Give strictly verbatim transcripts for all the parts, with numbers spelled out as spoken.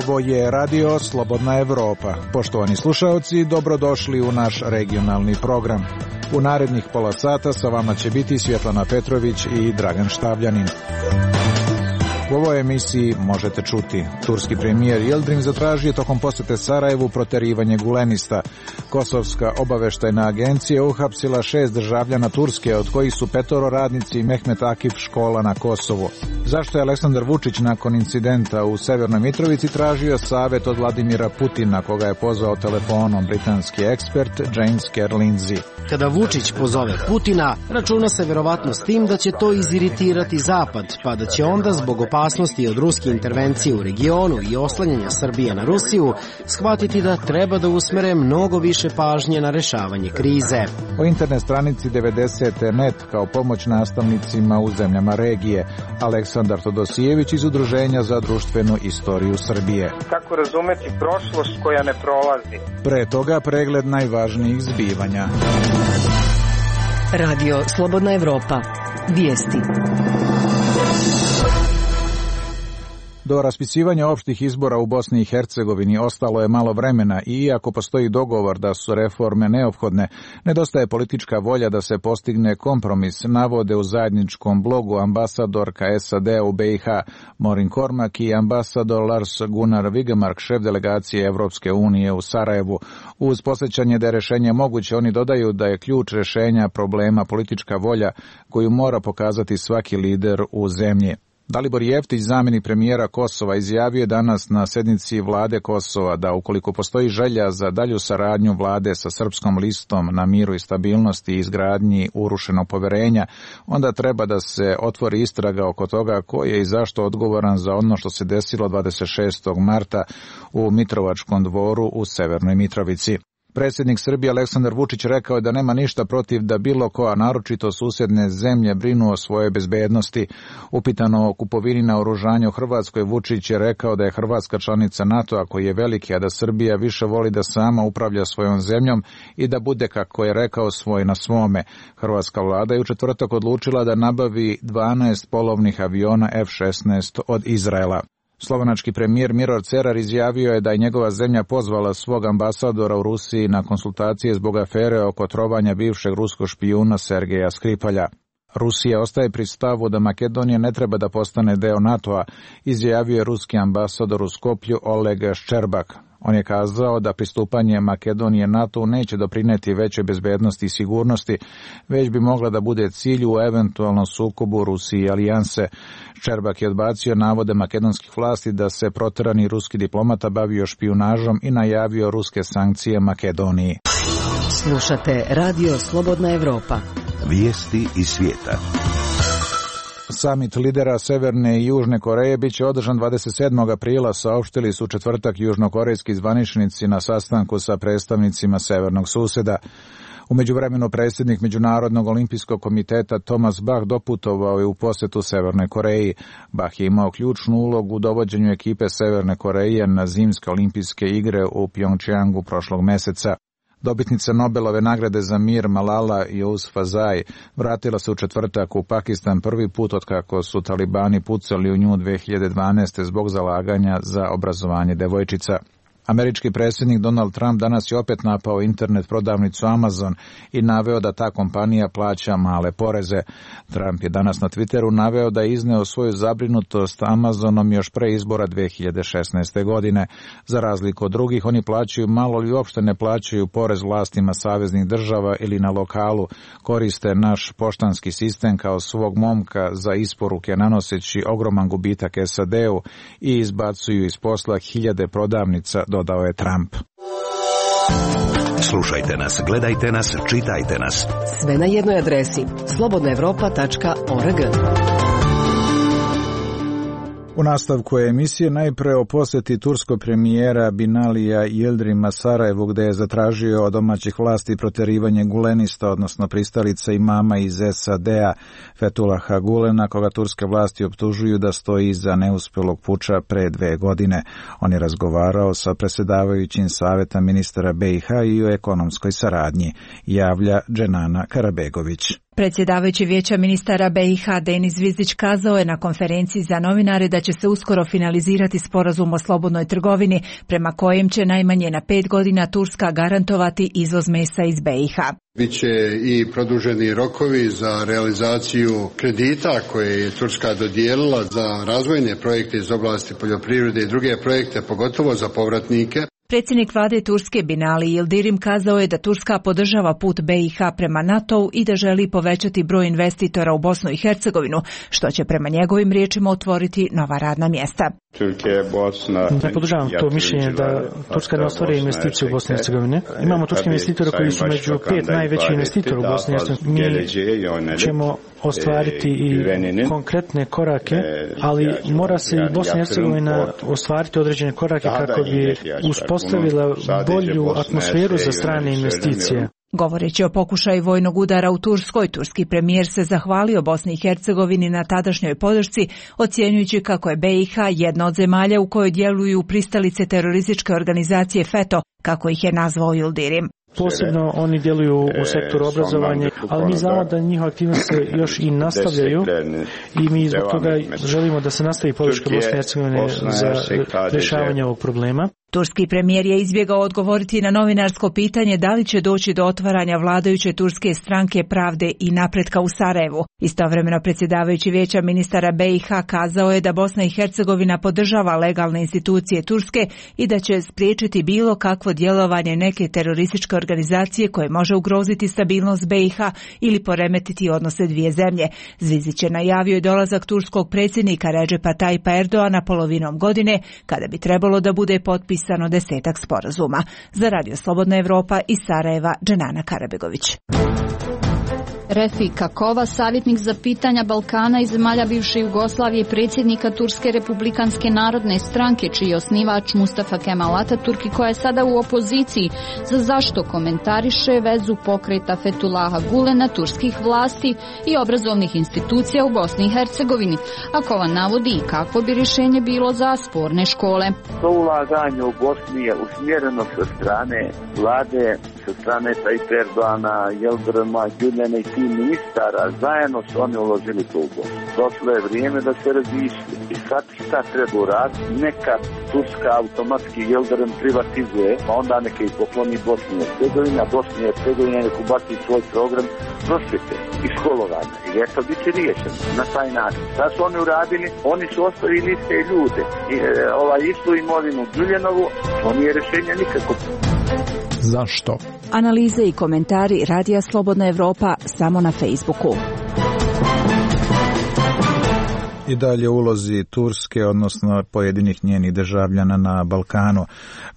Ovo je Radio Slobodna Evropa. Poštovani slušaoci, dobrodošli u naš regionalni program. U narednih pola sata sa vama će biti Svjetlana Petrović i Dragan Štavljanin. U ovoj emisiji možete čuti: turski premijer Yildirim zatražio tokom posete Sarajevu proterivanje Gulenista. Kosovska obaveštajna agencija uhapsila šest državljana Turske, od kojih su petoro radnici Mehmet Akif škola na Kosovu. Zašto je Aleksandar Vučić nakon incidenta u Severnoj Mitrovici tražio savjet od Vladimira Putina, koga je pozvao telefonom britanski ekspert James Kerr Lindsay? Kada Vučić pozove Putina, računa se verovatno s tim da će to iziritirati Zapad, pa da će onda zbog opasnosti od ruske intervencije u regionu i oslanjanja Srbije na Rusiju shvatiti da treba da usmere mnogo više pažnje na rešavanje krize. O internet stranici devedeset net kao pomoć nastavnicima u zemljama regije. Aleksandar Todosijević iz Udruženja za društvenu istoriju Srbije. Kako razumeti prošlost koja ne prolazi? Pre toga pregled najvažnijih zbivanja. Radio Slobodna Evropa. Vijesti. Do raspisivanja opštih izbora u Bosni i Hercegovini ostalo je malo vremena i iako postoji dogovor da su reforme neophodne, nedostaje politička volja da se postigne kompromis, navode u zajedničkom blogu ambasadorka S A D u B i H Morin Kormak i ambasador Lars Gunnar Vigemark, šef delegacije Evropske unije u Sarajevu. Uz posjećanje da je rešenje moguće, oni dodaju da je ključ rešenja problema politička volja koju mora pokazati svaki lider u zemlji. Dalibor Jeftić, zamjenik premijera Kosova, izjavio je danas na sednici vlade Kosova da ukoliko postoji želja za dalju saradnju vlade sa Srpskom listom na miru i stabilnosti i izgradnji urušenog poverenja, onda treba da se otvori istraga oko toga ko je i zašto odgovoran za ono što se desilo dvadeset šestog marta u Mitrovačkom dvoru u Severnoj Mitrovici. Predsjednik Srbije Aleksandar Vučić rekao je da nema ništa protiv da bilo ko, a naročito susjedne zemlje, brinu o svojoj bezbednosti. Upitano o kupovini naoružanja u Hrvatskoj, Vučić je rekao da je Hrvatska članica NATO-a koji je veliki, a da Srbija više voli da sama upravlja svojom zemljom i da bude, kako je rekao, svoj na svome. Hrvatska vlada je u četvrtak odlučila da nabavi dvanaest polovnih aviona F šesnaest od Izraela. Slovenački premijer Miro Cerar izjavio je da je njegova zemlja pozvala svog ambasadora u Rusiji na konsultacije zbog afere oko trovanja bivšeg ruskog špijuna Sergeja Skripalja. Rusija ostaje pri stavu da Makedonija ne treba da postane deo NATO-a, izjavio je ruski ambasador u Skoplju Oleg Ščerbak. On je kazao da pristupanje Makedonije NATO neće doprineti većoj bezbednosti i sigurnosti, već bi mogla da bude cilj u eventualnom sukobu Rusije i alijanse. Ščerbak je odbacio navode makedonskih vlasti da se proterani ruski diplomata bavio špijunažom i najavio ruske sankcije Makedoniji. Slušate Radio Slobodna Evropa. Vijesti iz svijeta. Samit lidera Severne i Južne Koreje biće održan dvadeset sedmog aprila, saopštili su četvrtak južnokorejski zvaničnici na sastanku sa predstavnicima severnog susjeda. U međuvremenu predsjednik Međunarodnog olimpijskog komiteta Thomas Bach doputovao je u posjetu Severnoj Koreji. Bach je imao ključnu ulogu u dovođenju ekipe Severne Koreje na zimske olimpijske igre u Pjongčjangu prošlog meseca. Dobitnica Nobelove nagrade za mir Malala Yousafzai vratila se u četvrtak u Pakistan prvi put otkako su talibani pucali u nju dve hiljade dvanaeste. zbog zalaganja za obrazovanje devojčica. Američki predsjednik Donald Trump danas je opet napao internet prodavnicu Amazon i naveo da ta kompanija plaća male poreze. Trump je danas na Twitteru naveo da je izneo svoju zabrinutost Amazonom još pre izbora dve hiljade šesnaeste. godine. Za razliku od drugih, oni plaćaju malo ili uopšte ne plaćaju porez vlastima saveznih država ili na lokalu, koriste naš poštanski sistem kao svog momka za isporuke nanoseći ogroman gubitak S A D-u i izbacuju iz posla hiljade prodavnica, dodao je Trump. Slušajte nas, gledajte nas, čitajte nas. Sve na jednoj adresi slobodna evropa tačka org. U nastavku je emisije najpre o posjeti turskog premijera Binalija Yildirima Sarajevu, gde je zatražio od domaćih vlasti proterivanje Gulenista, odnosno pristalica imama iz S A D-a Fethullaha Gulena, koga turske vlasti optužuju da stoji iza neuspelog puča pre dve godine. On je razgovarao sa predsjedavajućim saveta ministara B i H i o ekonomskoj saradnji, javlja Dženana Karabegović. Predsjedavajući Vijeća ministara B i H Denis Zvizdić kazao je na konferenciji za novinare da će se uskoro finalizirati sporazum o slobodnoj trgovini prema kojem će najmanje na pet godina Turska garantovati izvoz mesa iz B i H. Biće i produženi rokovi za realizaciju kredita koje je Turska dodijelila za razvojne projekte iz oblasti poljoprivrede i druge projekte, pogotovo za povratnike. Predsjednik vlade Turske Binali Yildirim kazao je da Turska podržava put B i H prema NATO-u i da želi povećati broj investitora u Bosnu i Hercegovinu, što će prema njegovim riječima otvoriti nova radna mjesta. Ne podržavam to mišljenje da Turska ne ostvari investicije u Bosni i Hercegovini. Imamo turske investitore koji su među pet najvećih investitora u Bosni i Hercegovini. Mi ćemo ostvariti i konkretne korake, ali mora se i Bosna i Hercegovina ostvariti određene korake kako bi uspostavila bolju atmosferu za strane investicije. Govoreći o pokušaju vojnog udara u Turskoj, turski premijer se zahvalio Bosni i Hercegovini na tadašnjoj podršci, ocjenjujući kako je B i H jedna od zemalja u kojoj djeluju pristalice terorističke organizacije FETO, kako ih je nazvao Yildirim. Posebno oni djeluju u sektoru obrazovanja, ali mi znamo da njihove aktivnosti se još i nastavljaju i mi zbog toga želimo da se nastavi podrška Bosne i Hercegovine za rješavanje ovog problema. Turski premijer je izbjegao odgovoriti na novinarsko pitanje da li će doći do otvaranja vladajuće turske stranke Pravde i napretka u Sarajevu. Istovremeno predsjedavajući Vijeća ministara B i H kazao je da Bosna i Hercegovina podržava legalne institucije Turske i da će spriječiti bilo kakvo djelovanje neke terorističke organizacije koje može ugroziti stabilnost B i H ili poremetiti odnose dvije zemlje. Zvizdić je najavio i dolazak turskog predsjednika Recepa Tayyipa Erdoana polovinom godine, kada bi trebalo da bude potpis samo desetak sporazuma. Za Radio Slobodna Evropa iz Sarajeva, Dženana Karabegović. Refik Kakova, savjetnik za pitanja Balkana i zemalja bivše Jugoslavije, predsjednika Turske republikanske narodne stranke, čiji je osnivač Mustafa Kemal Ataturk i koja je sada u opoziciji, za zašto komentariše vezu pokreta Fethullaha Gulena, turskih vlasti i obrazovnih institucija u Bosni i Hercegovini. Akova navodi i kakvo bi rješenje bilo za sporne škole. To ulaganje u Bosni je usmjereno sa strane vlade, sa strane Tayyipa Erdoana, Yildirima, Gulena i tih ministara, zajedno su oni uložili to u Bosnu. Došlo je vrijeme da se razmišlja. I sad šta treba uraditi? Neka Turska automatski Yildirim privatizuje, pa onda neka i pokloni Bosni i Hercegovini, a Bosni i Hercegovina neka ubaci svoj program prosvjete i školovanja. I eto bit će riješeno na taj način. Šta su oni uradili? Oni su ostavili iste ljude. I, e, ovaj istu imovinu Đuljanovu, to nije rješenje nikako. Zašto? Analize i komentari Radija Slobodna Evropa samo na Facebooku. I dalje ulozi Turske, odnosno pojedinih njenih državljana na Balkanu.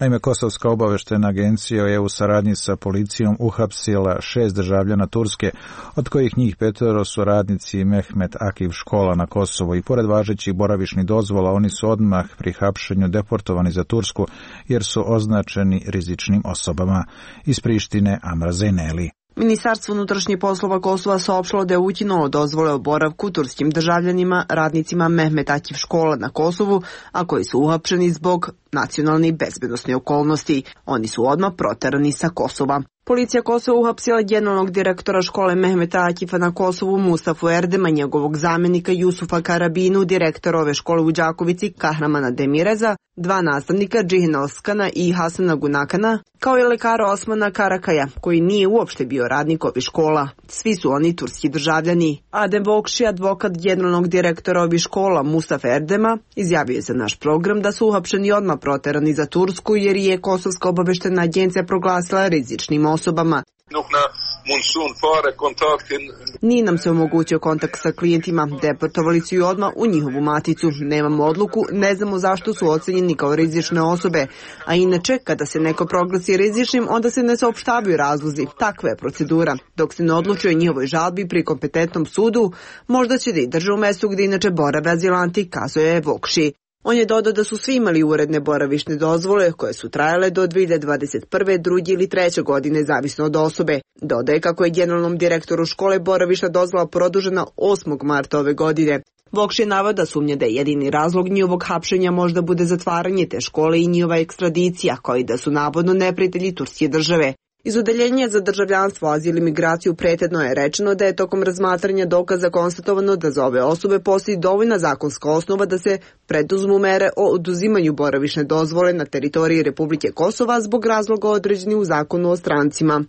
Naime, Kosovska obavještajna agencija je u saradnji sa policijom uhapsila šest državljana Turske, od kojih njih petero su radnici Mehmet Akif škola na Kosovu i pored važećih boravišnih dozvola oni su odmah pri hapšenju deportovani za Tursku jer su označeni rizičnim osobama. Iz Prištine Amra Zejneli. Ministarstvo unutrašnjih poslova Kosova saopštilo da je ukinulo dozvole o boravku turskim državljanima, radnicima Mehmet Akif škola na Kosovu, a koji su uhapšeni zbog nacionalne i bezbednosne okolnosti. Oni su odmah proterani sa Kosova. Policija Kosova uhapsila generalnog direktora škole Mehmeta Akifa na Kosovu Mustafu Erdema, njegovog zamjenika Jusufa Karabinu, direktora ove škole u Đakovici Kahramana Demireza, dva nastavnika Džihina Oskana i Hasana Gunakana, kao i lekara Osmana Karakaja, koji nije uopšte bio radnik ovih škola. Svi su oni turski državljani. Adem Vokši, advokat generalnog direktora ovih škola Mustafa Erdema, izjavio je za naš program da su uhapšeni odmah proterani za Tursku jer je Kosovska obavještajna agencija proglasila rizičnim osobama. Nije nam se omogućio kontakt sa klijentima, deportovali su ju odmah u njihovu maticu. Nemamo odluku, ne znamo zašto su ocenjeni kao rizične osobe. A inače, kada se neko proglasi rizičnim, onda se ne saopštavaju razlozi. Takva je procedura. Dok se ne odlučuje njihovoj žalbi pri kompetentnom sudu, možda će da i drže u mestu gdje inače borave azilanti, kazuje Vokši. On je dodao da su svi imali uredne boravišne dozvole koje su trajale do dvije hiljade dvadeset prve, druge ili treće godine, zavisno od osobe. Dodaje kako je generalnom direktoru škole boravišna dozvola produžena osmog marta ove godine. Vokš je naveo da sumnja da je jedini razlog njihovog hapšenja možda bude zatvaranje te škole i njihova ekstradicija, kao i da su navodno neprijatelji turske države. Iz Odeljenja za državljanstvo, azil i migraciju prethodno je rečeno da je tokom razmatranja dokaza konstatovano da za ove osobe postoji dovoljna zakonska osnova da se preduzmu mere o oduzimanju boravišne dozvole na teritoriji Republike Kosova zbog razloga određenih u zakonu o strancima.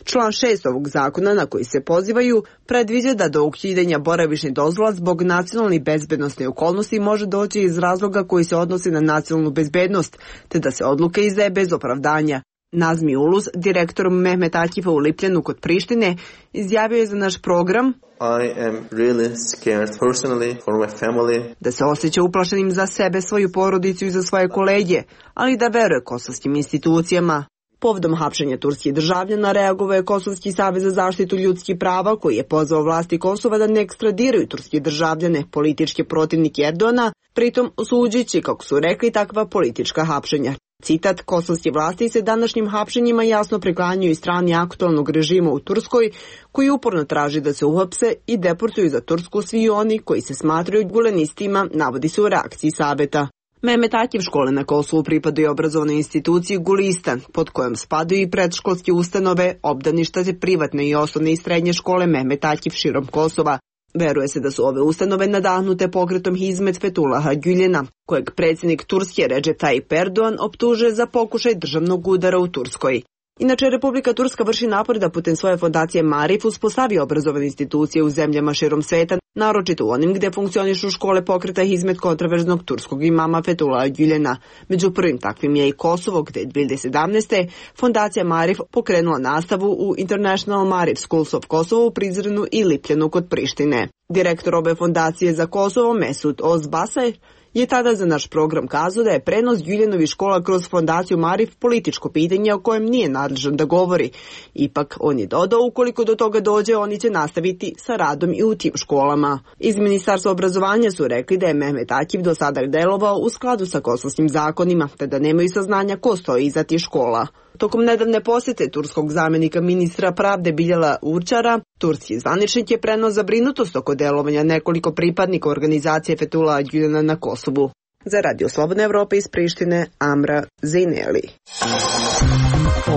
Član šest ovog zakona na koji se pozivaju predviđa da do ukidanja boravišne dozvola zbog nacionalne bezbednosne okolnosti može doći iz razloga koji se odnose na nacionalnu bezbednost, te da se odluka izdaje bez opravdanja. Nazmi Uluz, direktor Mehmet Akifa u Lipljanu kod Prištine, izjavio je za naš program I am really scared personally for my family. Da se osjeća uplašenim za sebe, svoju porodicu i za svoje kolege, ali da veruje kosovskim institucijama. Povodom hapšenja turskih državljana reagovao je Kosovski savez za zaštitu ljudskih prava, koji je pozvao vlasti Kosova da ne ekstradiraju turske državljane, političke protivnike Erdogana, pritom osuđujući, kako su rekli, takva politička hapšenja. Citat, kosovske vlasti se današnjim hapšenjima jasno priklanjuju strani aktualnog režima u Turskoj, koji uporno traži da se uhapse i deportuju za Tursku svi oni koji se smatraju gulenistima, navodi se u reakciji saveta. Mehmet Akif škole na Kosovu pripadaju obrazovnoj instituciji Gulistan, pod kojom spadaju i predškolske ustanove, obdaništa te privatne i osnovne i srednje škole Mehmet Akif širom Kosova. Veruje se da su ove ustanove nadahnute pokretom Hizmet Fethullaha Gülen'a, kojeg predsjednik Turske Recep Tayyip Erdogan optužuje za pokušaj državnog udara u Turskoj. Inače, Republika Turska vrši napor da putem svoje fondacije Marif uspostavi obrazovane institucije u zemljama širom sveta, naročito u onim gdje funkcionišu škole pokreta Hizmet kontraverznog turskog imama Fethullaha Gülen'a. Među prvim takvim je i Kosovo, gdje je dvije hiljade sedamnaeste. fondacija Marif pokrenula nastavu u International Marif Schools of Kosovo u Prizrenu i Lipljanu kod Prištine. Direktor ove fondacije za Kosovo, Mesut Ozbasaj, je tada za naš program kazao da je prenos Gülenovih škola kroz fondaciju Marif političko pitanje o kojem nije nadležan da govori. Ipak, on je dodao, ukoliko do toga dođe, oni će nastaviti sa radom i u tim školama. Iz Ministarstva obrazovanja su rekli da je Mehmet Akif do sada delovao u skladu sa kosovskim zakonima, te da nemaju saznanja ko stoji iza tih škola. Tokom nedavne posjete turskog zamjenika ministra pravde Biljala Určara, turski zvaničnik je preneo zabrinutost oko delovanja nekoliko pripadnika organizacije Fethullaha Gülen'a na Kosovu. Za Radio Slobodna Evropa iz Prištine, Amra Zejneli.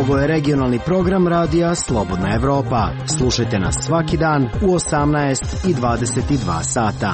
Ovo je regionalni program radija Slobodna Evropa. Slušajte nas svaki dan u osamnaest i dvadeset dva sata.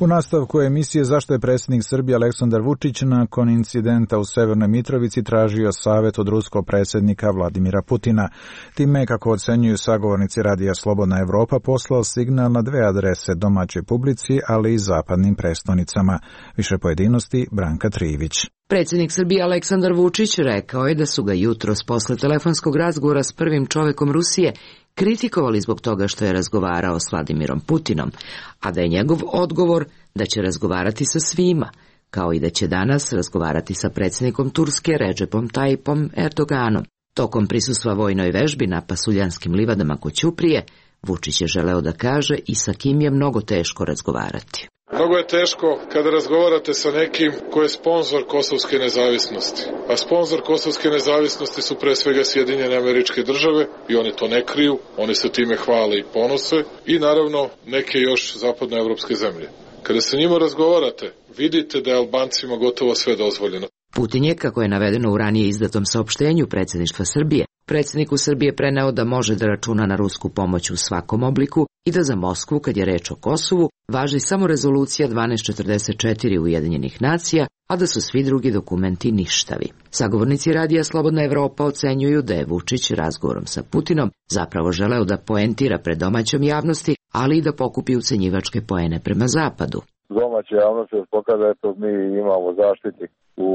U nastavku emisije zašto je predsjednik Srbije Aleksandar Vučić nakon incidenta u Severnoj Mitrovici tražio savjet od ruskog predsjednika Vladimira Putina. Time, kako ocenjuju sagovornici radija Slobodna Evropa, poslao signal na dve adrese, domaćoj publici, ali i zapadnim prestonicama. Više pojedinosti, Branka Trivić. Predsjednik Srbije Aleksandar Vučić rekao je da su ga jutros posle telefonskog razgovora s prvim čovekom Rusije kritikovali zbog toga što je razgovarao s Vladimirom Putinom, a da je njegov odgovor da će razgovarati sa svima, kao i da će danas razgovarati sa predsjednikom Turske Recepom Tayyipom Erdoganom. Tokom prisustva vojnoj vežbi na Pasuljanskim livadama kod Ćuprije, Vučić je želeo da kaže i sa kim je mnogo teško razgovarati. Mnogo je teško kada razgovarate sa nekim ko je sponzor kosovske nezavisnosti. A sponzor kosovske nezavisnosti su pre svega Sjedinjene Američke Države i oni to ne kriju, oni se time hvale i ponose i naravno neke još zapadnoevropske zemlje. Kada sa njima razgovarate, vidite da je Albancima gotovo sve dozvoljeno. Putin je, kako je navedeno u ranije izdatom saopštenju predsjedništva Srbije, predsjedniku Srbije preneo da može da računa na rusku pomoć u svakom obliku i da za Moskvu, kad je reč o Kosovu, važi samo rezolucija dvanaest četrdeset četiri Ujedinjenih nacija, a da su svi drugi dokumenti ništavi. Sagovornici radija Slobodna Evropa ocenjuju da je Vučić razgovorom sa Putinom zapravo želeo da poentira pred domaćom javnosti, ali i da pokupi ucenjivačke poene prema Zapadu. Domaća javnost se pokazuje da eto mi imamo zaštitnik u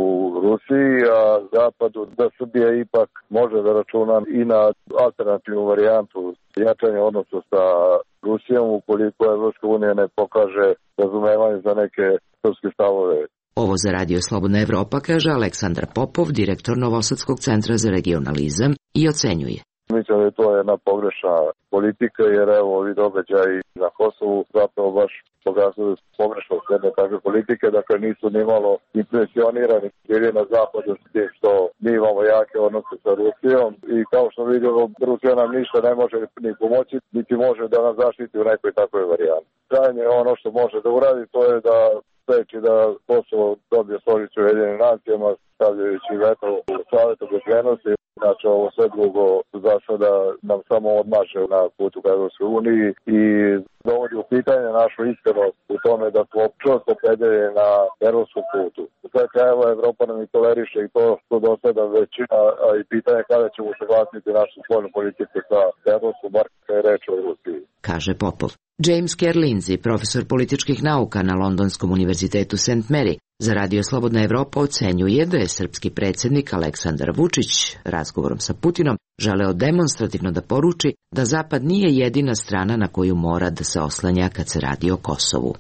Rusiji, a Zapadu da Srbija ipak može da računa i na alternativnu varijantu jačanja odnosa sa Rusijom ukoliko Evropska unija ne pokaže razumevanje za neke srpske stavove. Ovo za Radio Slobodna Evropa kaže Aleksandar Popov, direktor Novosadskog centra za regionalizam, i ocenjuje. Mislim da je to jedna pogrešna politika, jer evo ovi događaji na Kosovu zapravo baš pokazuju pogrešnost jedne takve politike, dakle nisu ni malo impresionirani bili na zapadu s tim što mi imamo jake odnose sa Rusijom i kao što vidimo, Rusija nam ništa ne može ni pomoći, niti može da nas zaštiti u nekoj takvoj varijanti. Krajnje ono što može da uradi to je da spreči da Kosovo dobije stolicu u Ujedinjenim nacijama, stavljajući veto u Savetu bezbednosti. Znači, ovo sve drugo za sada nam samo odmaže na putu ka Evropskoj uniji i dovodi u pitanje našu iskrenost u tome da smo čvrsto opredeljeni na evropskom putu. U sve krajeva Evropa nam i toleriše i to što do sada većina, a i pitanje kada ćemo saglasiti našu spoljnu politiku sa evropskom, bar kada je reč o Rusiji. Kaže Popov. James Kerr Lindsay, profesor političkih nauka na Londonskom univerzitetu Saint Mary, za Radio Slobodna Evropa ocenjuje da je srpski predsjednik Aleksandar Vučić razgovorom sa Putinom želeo demonstrativno da poruči da Zapad nije jedina strana na koju mora da se oslanja kad se radi o Kosovu.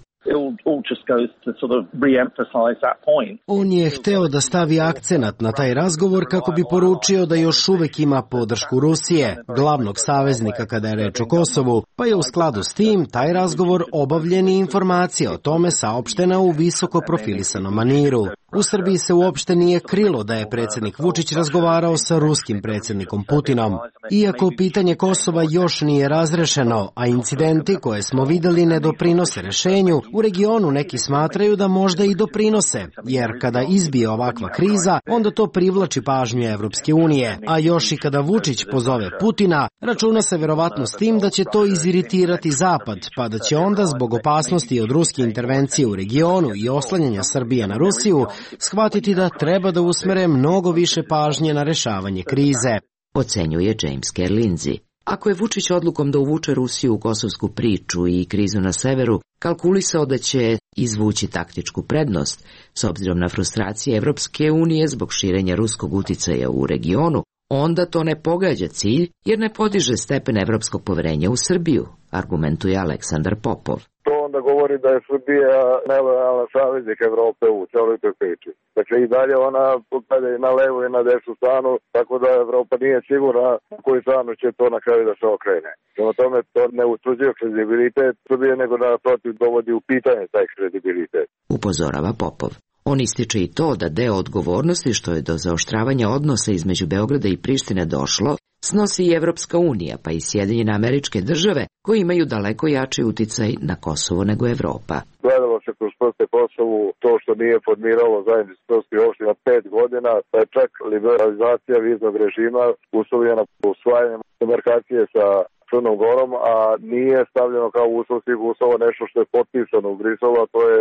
On je hteo da stavi akcenat na taj razgovor kako bi poručio da još uvek ima podršku Rusije, glavnog saveznika kada je reč o Kosovu, pa je u skladu s tim taj razgovor obavljen i informacija o tome saopštena u visoko profilisanom maniru. U Srbiji se uopšte nije krilo da je predsjednik Vučić razgovarao sa ruskim predsjednikom Putinom. Iako pitanje Kosova još nije razrešeno, a incidenti koje smo videli ne doprinose rešenju, u regionu neki smatraju da možda i doprinose, jer kada izbije ovakva kriza, onda to privlači pažnju Evropske unije, a još i kada Vučić pozove Putina, računa se verovatno s tim da će to iziritirati Zapad, pa da će onda zbog opasnosti od ruske intervencije u regionu i oslanjanja Srbije na Rusiju, shvatiti da treba da usmere mnogo više pažnje na rešavanje krize. Ocenjuje James Kerr Lindsay. Ako je Vučić odlukom da uvuče Rusiju u kosovsku priču i krizu na severu kalkulisao da će izvući taktičku prednost, s obzirom na frustracije Evropske unije zbog širenja ruskog uticaja u regionu, onda to ne pogađa cilj jer ne podiže stepen evropskog poverenja u Srbiju, argumentuje Aleksandar Popov. To onda govori da je Srbija nelojalna saveznik Evrope u celoj toj priči. Dakle, i dalje ona kada je na levu i na desnu stranu, tako da Evropa nije sigurna u koju stranu će to na kraju da se okrene. Prema tome, to ne utvrđuje kredibilitet Srbije, nego da protiv dovodi u pitanje taj kredibilitet. Upozorava Popov. On ističe i to da deo odgovornosti što je do zaoštravanja odnosa između Beograda i Prištine došlo, snosi i Evropska unija, pa i Sjedinjene Američke Države, koji imaju daleko jači uticaj na Kosovo nego Evropa. Gledalo se kroz prste Kosovu to što nije formiralo zajednicu srpskih opština pet godina, pa je čak liberalizacija viznog režima uslovljena usvajanjem demarkacije sa Crnom Gorom, a nije stavljeno kao uslov svih uslova nešto što je potpisano u Briselu, a to je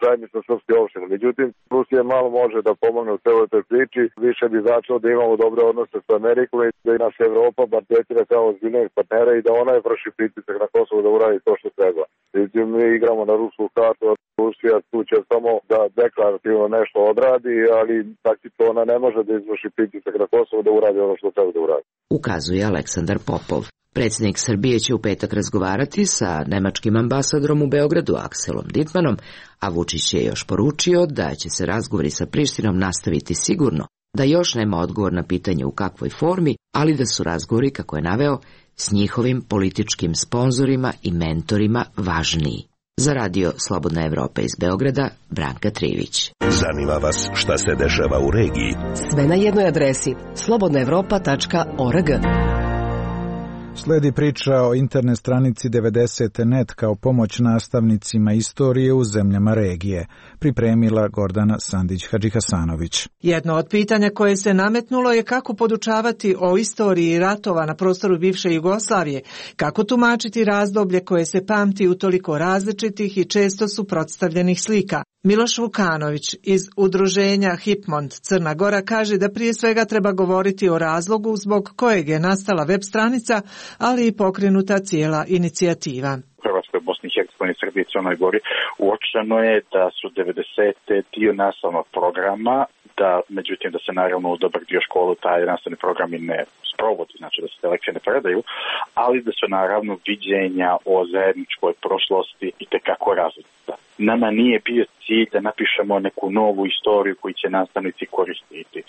zajednica srpskih opština. Međutim, Rusija malo može da pomogne u celoj toj priči, više bi značilo da imamo dobre odnose sa Amerikom i da i naša Evropa bar tretira kao ozbiljnog partnera i da ona je vrši pritisak na Kosovo da uradi to što treba. Međutim, mi igramo na rusku kartu, a Rusija tu će samo da deklarativno nešto odradi, ali taktično ona ne može da izvrši pritisak na Kosovo da uradi ono što treba da uradi. Ukazuje Aleksandar Popov. Predsjednik Srbije će u petak razgovarati sa nemačkim ambasadorom u Beogradu Akselom Dittmanom, a Vučić je još poručio da će se razgovori sa Prištinom nastaviti sigurno, da još nema odgovor na pitanje u kakvoj formi, ali da su razgovori, kako je naveo, s njihovim političkim sponzorima i mentorima važniji. Za Radio Slobodna Evropa iz Beograda, Branka Trivić. Zanima vas šta se dešava u regiji? Sve na jednoj adresi slobodna evropa tačka org. Sledi priča o internet stranici devedeset tačka net kao pomoć nastavnicima istorije u zemljama regije. Pripremila Gordana Sandić-Hadžihasanović. Jedno od pitanja koje se nametnulo je kako podučavati o istoriji ratova na prostoru bivše Jugoslavije, kako tumačiti razdoblje koje se pamti u toliko različitih i često suprotstavljenih slika. Miloš Vukanović iz udruženja Hipmont Crna Gora kaže da prije svega treba govoriti o razlogu zbog kojeg je nastala web stranica, ali i pokrenuta cijela inicijativa. U Hrvatskoj, Bosni i Hercegovini, Srbiji i Crnoj Gori uočeno je da su devedesete dio nastavnog programa, da međutim da se naravno u dobar dio školu taj nastavni program i ne sprovodi, znači da se te lekcije ne predaju, ali da su naravno viđenja o zajedničkoj prošlosti itekako različita. Nama nije bio cilj da napišemo neku novu istoriju koju će nastavnici koristiti.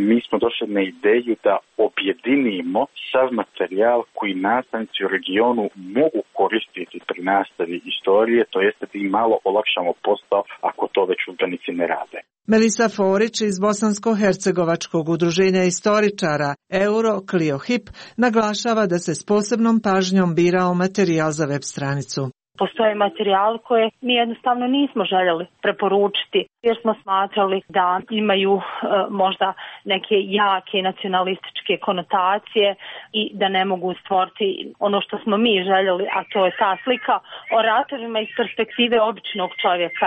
Mi smo došli na ideju da objedinimo sav materijal koji nastavnici u regionu mogu koristiti pri nastavi istorije, to jeste da im malo olakšamo posao ako to već udžbenici ne rade. Melisa Forić iz Bosansko-hercegovačkog udruženja istoričara Euro Clio Hip naglašava da se s posebnom pažnjom birao materijal za web stranicu. Postoje materijali koje mi jednostavno nismo željeli preporučiti jer smo smatrali da imaju e, možda neke jake nacionalističke konotacije i da ne mogu stvoriti ono što smo mi željeli, a to je ta slika o ratovima iz perspektive običnog čovjeka,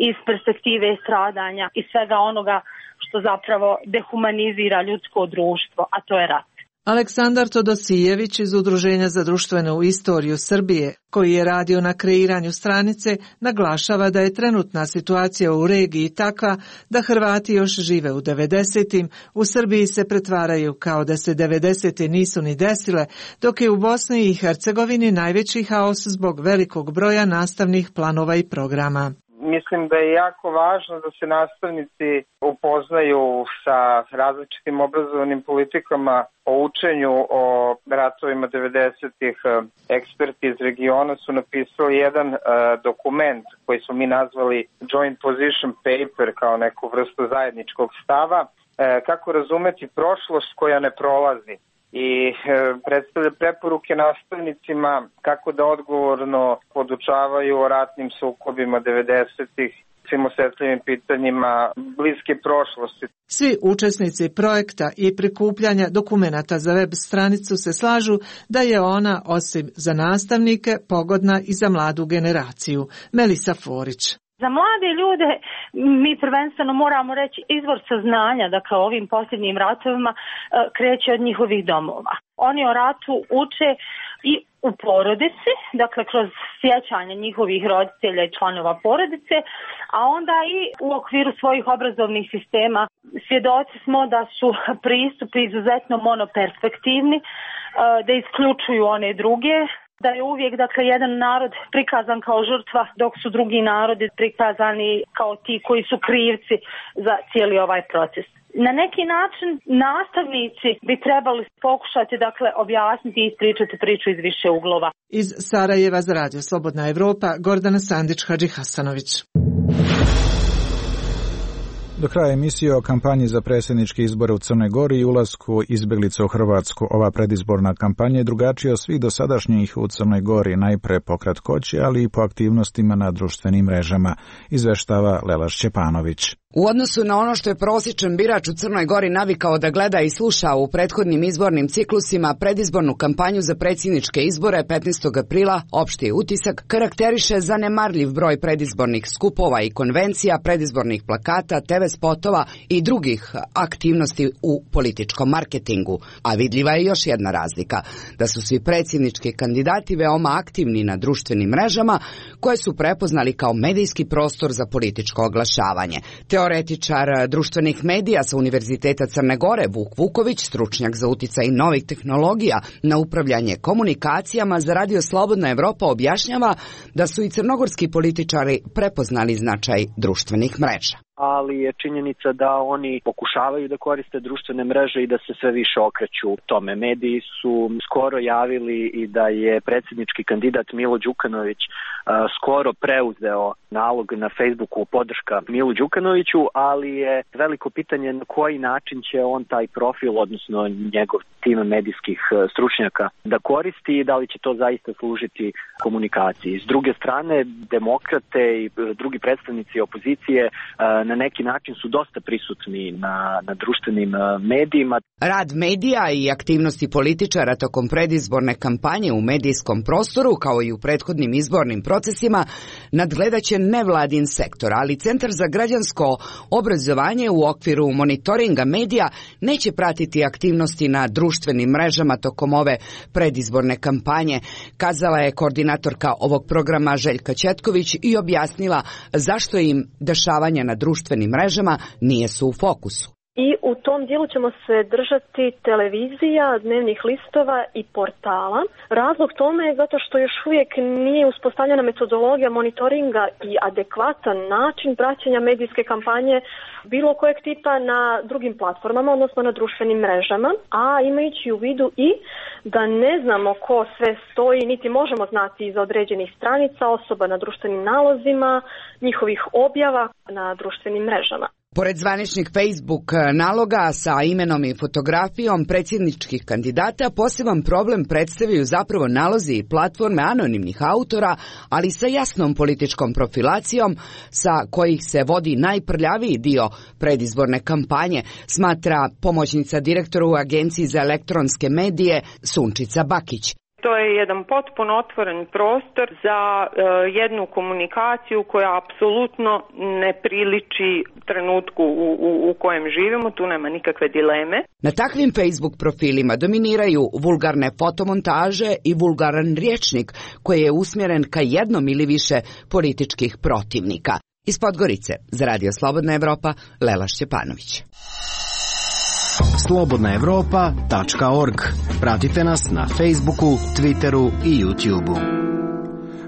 iz perspektive stradanja i svega onoga što zapravo dehumanizira ljudsko društvo, a to je rat. Aleksandar Todosijević iz Udruženja za društvenu istoriju Srbije, koji je radio na kreiranju stranice, naglašava da je trenutna situacija u regiji takva da Hrvati još žive u devedesetim, u Srbiji se pretvaraju kao da se devedesete nisu ni desile, dok je u Bosni i Hercegovini najveći haos zbog velikog broja nastavnih planova i programa. Mislim da je jako važno da se nastavnici upoznaju sa različitim obrazovnim politikama o učenju o ratovima devedesetih. Eksperti iz regiona su napisali jedan uh, dokument koji smo mi nazvali Joint Position Paper kao neku vrstu zajedničkog stava, uh, kako razumeti prošlost koja ne prolazi. I e, predstavlja preporuke nastavnicima kako da odgovorno podučavaju o ratnim sukobima devedesetih, svim osetljivim pitanjima bliske prošlosti. Svi učesnici projekta i prikupljanja dokumenata za web stranicu se slažu da je ona, osim za nastavnike, pogodna i za mladu generaciju. Melisa Forić. Za mlade ljude mi prvenstveno moramo reći izvor saznanja, dakle o ovim posljednjim ratovima kreće od njihovih domova. Oni o ratu uče i u porodici, dakle kroz sjećanje njihovih roditelja i članova porodice, a onda i u okviru svojih obrazovnih sistema. Svjedoci smo da su pristupi izuzetno monoperspektivni, da isključuju one druge, da je uvijek dakle jedan narod prikazan kao žrtva, dok su drugi narodi prikazani kao ti koji su krivci za cijeli ovaj proces. Na neki način nastavnici bi trebali pokušati dakle objasniti i ispričati priču iz više uglova. Iz Sarajeva za Radio Slobodna Evropa, Gordana Sandić-Hadžihasanović. Do kraja emisije o kampanji za predsjedničke izbore u Crnoj Gori i ulasku izbjeglica u Hrvatsku. Ova predizborna kampanja je drugačija od svih dosadašnjih u Crnoj Gori, najpre po kratkoći, ali i po aktivnostima na društvenim mrežama, izveštava Lela Šćepanović. U odnosu na ono što je prosječan birač u Crnoj Gori navikao da gleda i sluša u prethodnim izbornim ciklusima, predizbornu kampanju za predsjedničke izbore petnaestog aprila opšti utisak karakteriše zanemarljiv broj predizbornih skupova i konvencija, predizbornih plakata, te ve spotova i drugih aktivnosti u političkom marketingu. A vidljiva je još jedna razlika, da su svi predsjednički kandidati veoma aktivni na društvenim mrežama koje su prepoznali kao medijski prostor za političko oglašavanje. Teoretičar društvenih medija sa Univerziteta Crne Gore Vuk Vuković, stručnjak za uticaj novih tehnologija na upravljanje komunikacijama za Radio Slobodna Evropa, objašnjava da su i crnogorski političari prepoznali značaj društvenih mreža. Ali je činjenica da oni pokušavaju da koriste društvene mreže i da se sve više okreću tome. Mediji su skoro javili i da je predsjednički kandidat Milo Đukanović uh, skoro preuzeo nalog na Facebooku podrška Milu Đukanoviću, ali je veliko pitanje na koji način će on taj profil, odnosno njegov tim medijskih stručnjaka, da koristi i da li će to zaista služiti komunikaciji. S druge strane, demokrate i drugi predstavnici opozicije uh, na neki način su dosta prisutni na, na društvenim medijima. Rad medija i aktivnosti političara tokom predizborne kampanje u medijskom prostoru, kao i u prethodnim izbornim procesima, nadgledaće nevladin sektor, ali Centar za građansko obrazovanje u okviru monitoringa medija neće pratiti aktivnosti na društvenim mrežama tokom ove predizborne kampanje, kazala je koordinatorka ovog programa Željka Ćetković i objasnila zašto im dešavanja na društvenim mrežama nije su u fokusu. I u tom dijelu ćemo se držati televizija, dnevnih listova i portala. Razlog tome je zato što još uvijek nije uspostavljena metodologija monitoringa i adekvatan način praćenja medijske kampanje bilo kojeg tipa na drugim platformama, odnosno na društvenim mrežama, a imajući u vidu i da ne znamo ko sve stoji, niti možemo znati iz određenih stranica osoba na društvenim nalozima, njihovih objava na društvenim mrežama. Pored zvaničnih Facebook naloga sa imenom i fotografijom predsjedničkih kandidata, poseban problem predstavljaju zapravo nalozi i platforme anonimnih autora, ali sa jasnom političkom profilacijom sa kojih se vodi najprljaviji dio predizborne kampanje, smatra pomoćnica direktora u Agenciji za elektronske medije Sunčica Bakić. To je jedan potpuno otvoren prostor za e, jednu komunikaciju koja apsolutno ne priliči trenutku u, u, u kojem živimo, tu nema nikakve dileme. Na takvim Facebook profilima dominiraju vulgarne fotomontaže i vulgaran rječnik koji je usmjeren ka jednom ili više političkih protivnika. Iz Podgorice, za Radio Slobodna Evropa, Lela Šćepanović. slobodna evropa tačka org. Pratite nas na Facebooku, Twitteru i YouTubeu.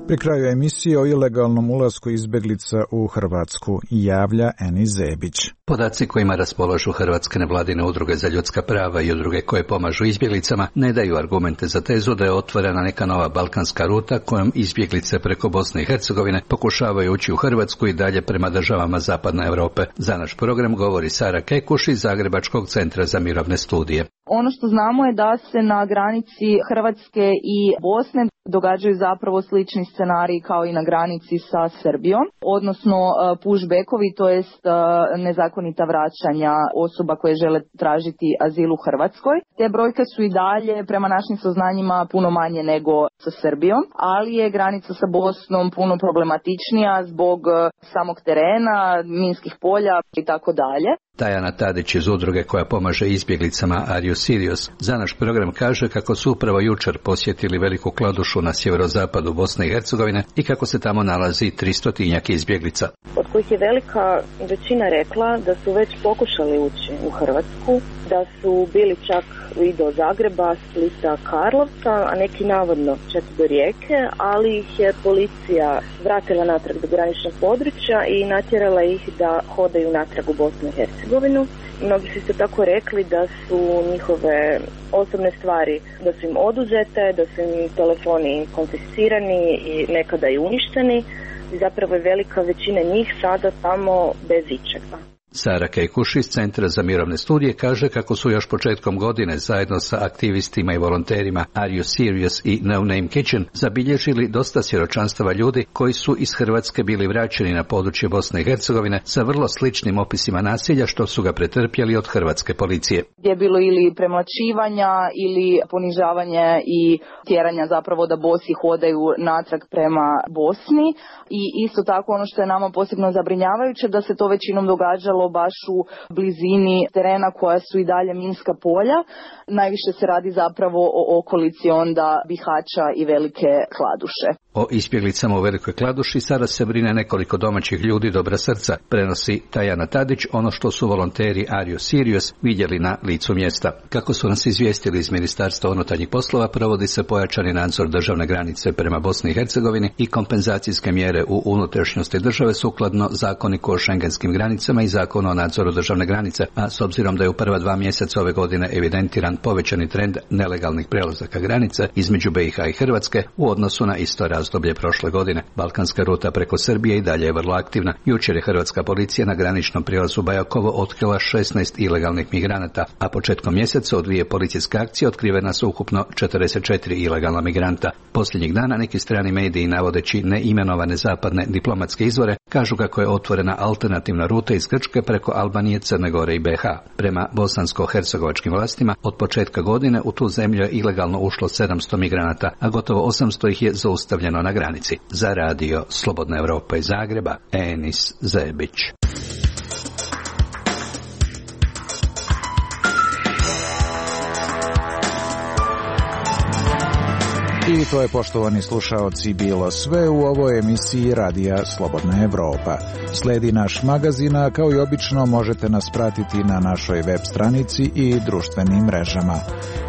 Pri kraju emisije o ilegalnom ulasku izbeglica u Hrvatsku javlja Eni Zebić. Podaci kojima raspolažu hrvatske nevladine udruge za ljudska prava i udruge koje pomažu izbjeglicama ne daju argumente za tezu da je otvorena neka nova balkanska ruta kojom izbjeglice preko Bosne i Hercegovine pokušavaju ući u Hrvatsku i dalje prema državama Zapadne Europe. Za naš program govori Sara Kekuš iz Zagrebačkog centra za mirovne studije. Ono što znamo je da se na granici Hrvatske i Bosne događaju zapravo slični scenariji kao i na granici sa Srbijom, odnosno pushbackovi, to jest nezakonita vraćanja osoba koje žele tražiti azil u Hrvatskoj. Te brojke su i dalje prema našim saznanjima puno manje nego sa Srbijom, ali je granica sa Bosnom puno problematičnija zbog samog terena, minskih polja i tako dalje. Tajana Tadić iz udruge koja pomaže izbjeglicama Are You Serious za naš program kaže kako su upravo jučer posjetili Veliku Kladušu na sjeverozapadu Bosne i Hercegovine i kako se tamo nalazi tristotinjak izbjelica. Od kojih je velika većina rekla da su već pokušali ući u Hrvatsku, da su bili čak i do Zagreba, Splita, Karlovca, a neki navodno čak do Rijeke, ali ih je policija vratila natrag do graničnog područja i natjerala ih da hodaju natrag u Bosnu i Hercegovinu. Mnogi su isto tako rekli da su njihove osobne stvari, da su im oduzete, da su im telefoni konfiscirani i nekada i uništeni. I zapravo je velika većina njih sada tamo bez ičega. Sara Kekuš iz Centra za mirovne studije kaže kako su još početkom godine zajedno sa aktivistima i volonterima Are You Serious i No Name Kitchen zabilježili dosta svjedočanstava ljudi koji su iz Hrvatske bili vraćeni na područje Bosne i Hercegovine sa vrlo sličnim opisima nasilja što su ga pretrpjeli od hrvatske policije. Gdje je bilo ili premlaćivanja ili ponižavanje i tjeranja zapravo da bosi hodaju natrag prema Bosni i isto tako ono što je nama posebno zabrinjavajuće da se to većinom događalo baš u blizini terena koja su i dalje minska polja. Najviše se radi zapravo o okolici onda Bihaća i Velike Kladuše. O izbjeglicama u Velikoj Kladuši sada se brine nekoliko domaćih ljudi dobra srca, prenosi Tajana Tadić ono što su volonteri Are You Serious vidjeli na licu mjesta. Kako su nas izvijestili iz Ministarstva unutarnjih poslova, provodi se pojačani nadzor državne granice prema Bosni i Hercegovini i kompenzacijske mjere u unutrašnjosti države sukladno zakoniku o šengenskim granicama i zakonu o nadzoru državne granice, a s obzirom da je u prva dva mjeseca ove godine evidentiran povećani trend nelegalnih prelazaka granice između B i H i Hrvatske u odnosu na isto razdoblje prošle godine. Balkanska ruta preko Srbije i dalje je vrlo aktivna. Jučer je hrvatska policija na graničnom prijelazu Bajakovo otkrila šesnaest ilegalnih migranata, a početkom mjeseca od dvije policijske akcije otkrivena su ukupno četrdeset četiri ilegalna migranta. Posljednjih dana neki strani mediji, navodeći neimenovane zapadne diplomatske izvore, kažu kako je otvorena alternativna ruta iz Grčke preko Albanije, Crne Gore i B H. Prema bosansko-hercegovačkim vlastima, od početka godine u tu zemlju je ilegalno ušlo sedamsto migranata, a gotovo osamsto ih je zaustavljeno na granici. Za radio Slobodna Evropa iz Zagreba, Enis Zebić. I to je, poštovani slušaoci, bilo sve u ovoj emisiji Radija Slobodna Evropa. Sledi naš magazin, a kao i obično možete nas pratiti na našoj web stranici i društvenim mrežama.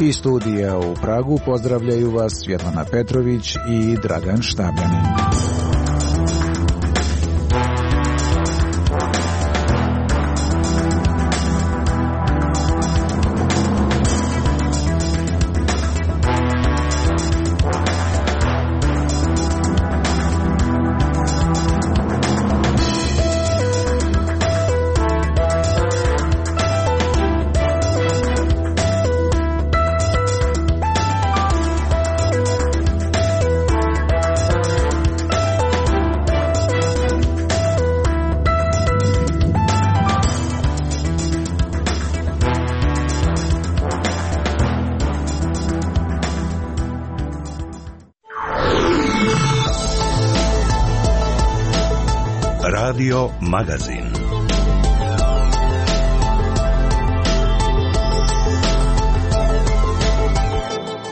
Iz studija u Pragu pozdravljaju vas Svjetlana Petrović i Dragan Štabljanin. Radio Magazin.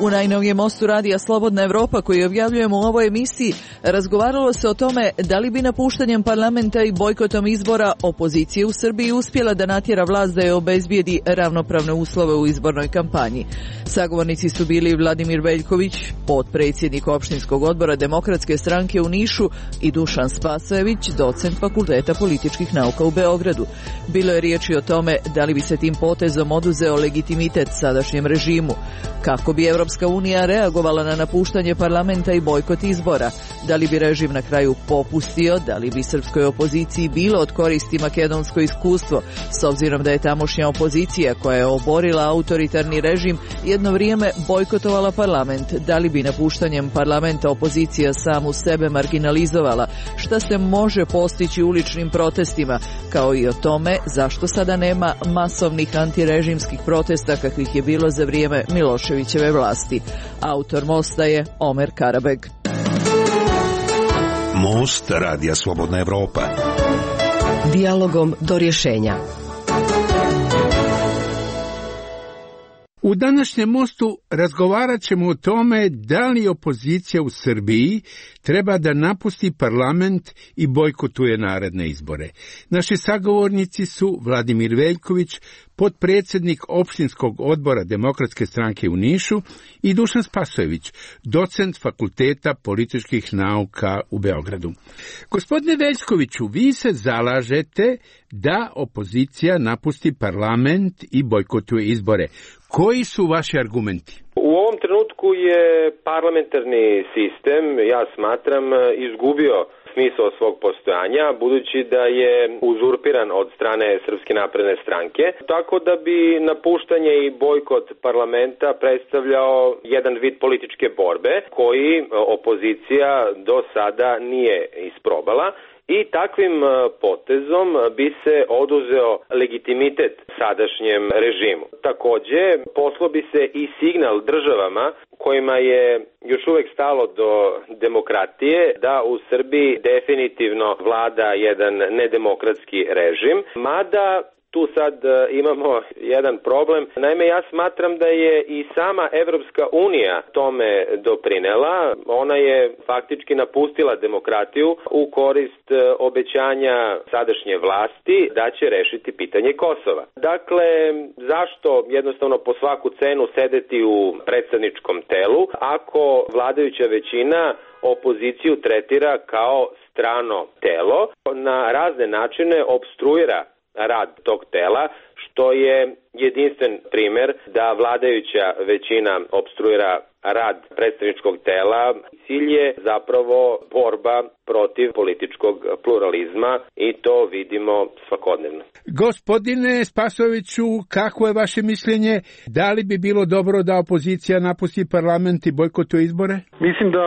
U najnovijem mostu radija Slobodna Evropa koji objavljujemo u ovoj emisiji razgovaralo se o tome da li bi napuštanjem parlamenta i bojkotom izbora opozicija u Srbiji uspjela da natjera vlast da je obezbijedi ravnopravne uslove u izbornoj kampanji. Sagovornici su bili Vladimir Veljković, potpredsjednik opštinskog odbora Demokratske stranke u Nišu, i Dušan Spasojević, docent Fakulteta političkih nauka u Beogradu. Bilo je riječi o tome da li bi se tim potezom oduzeo legitimitet sadašnjem režimu, kako bi Evropska unija reagovala na napuštanje parlamenta i bojkot izbora, da li bi režim na kraju popustio, da li bi srpskoj opoziciji bilo od koristi makedonsko iskustvo, s obzirom da je tamošnja opozicija koja je oborila autoritarni režim jedno vrijeme bojkotovala parlament, da li bi napuštanjem parlamenta opozicija samu sebe marginalizovala, šta se može postići uličnim protestima, kao i o tome zašto sada nema masovnih antirežimskih protesta kakvih je bilo za vrijeme Miloševićeve vlasti. Autor mosta je Omer Karabeg. Most Radija Slobodna Evropa. Dijalogom do rješenja. U današnjem mostu razgovarat ćemo o tome da li opozicija u Srbiji treba da napusti parlament i bojkotuje naredne izbore. Naši sagovornici su Vladimir Veljković, potpredsjednik opštinskog odbora Demokratske stranke u Nišu, i Dušan Spasojević, docent Fakulteta političkih nauka u Beogradu. Gospodine Veljkoviću, vi se zalažete da opozicija napusti parlament i bojkotuje izbore. Koji su vaši argumenti? U ovom trenutku je parlamentarni sistem, ja smatram, izgubio smisao svog postojanja, budući da je uzurpiran od strane Srpske napredne stranke, tako da bi napuštanje i bojkot parlamenta predstavljao jedan vid političke borbe koji opozicija do sada nije isprobala. I takvim potezom bi se oduzeo legitimitet sadašnjem režimu. Takođe, poslao bi se i signal državama kojima je još uvek stalo do demokratije, da u Srbiji definitivno vlada jedan nedemokratski režim, mada tu sad imamo jedan problem. Naime, ja smatram da je i sama Evropska unija tome doprinela. Ona je faktički napustila demokratiju u korist obećanja sadašnje vlasti da će rešiti pitanje Kosova. Dakle, zašto jednostavno po svaku cenu sedeti u predstavničkom telu ako vladajuća većina opoziciju tretira kao strano telo, na razne načine opstruira rad tog tela, što je jedinstven primer da vladajuća većina opstruira rad predstavničkog tela. Cilj je zapravo borba protiv političkog pluralizma i to vidimo svakodnevno. Gospodine Spasojeviću, kako je vaše mišljenje? Da li bi bilo dobro da opozicija napusti parlament i bojkotuje izbore? Mislim da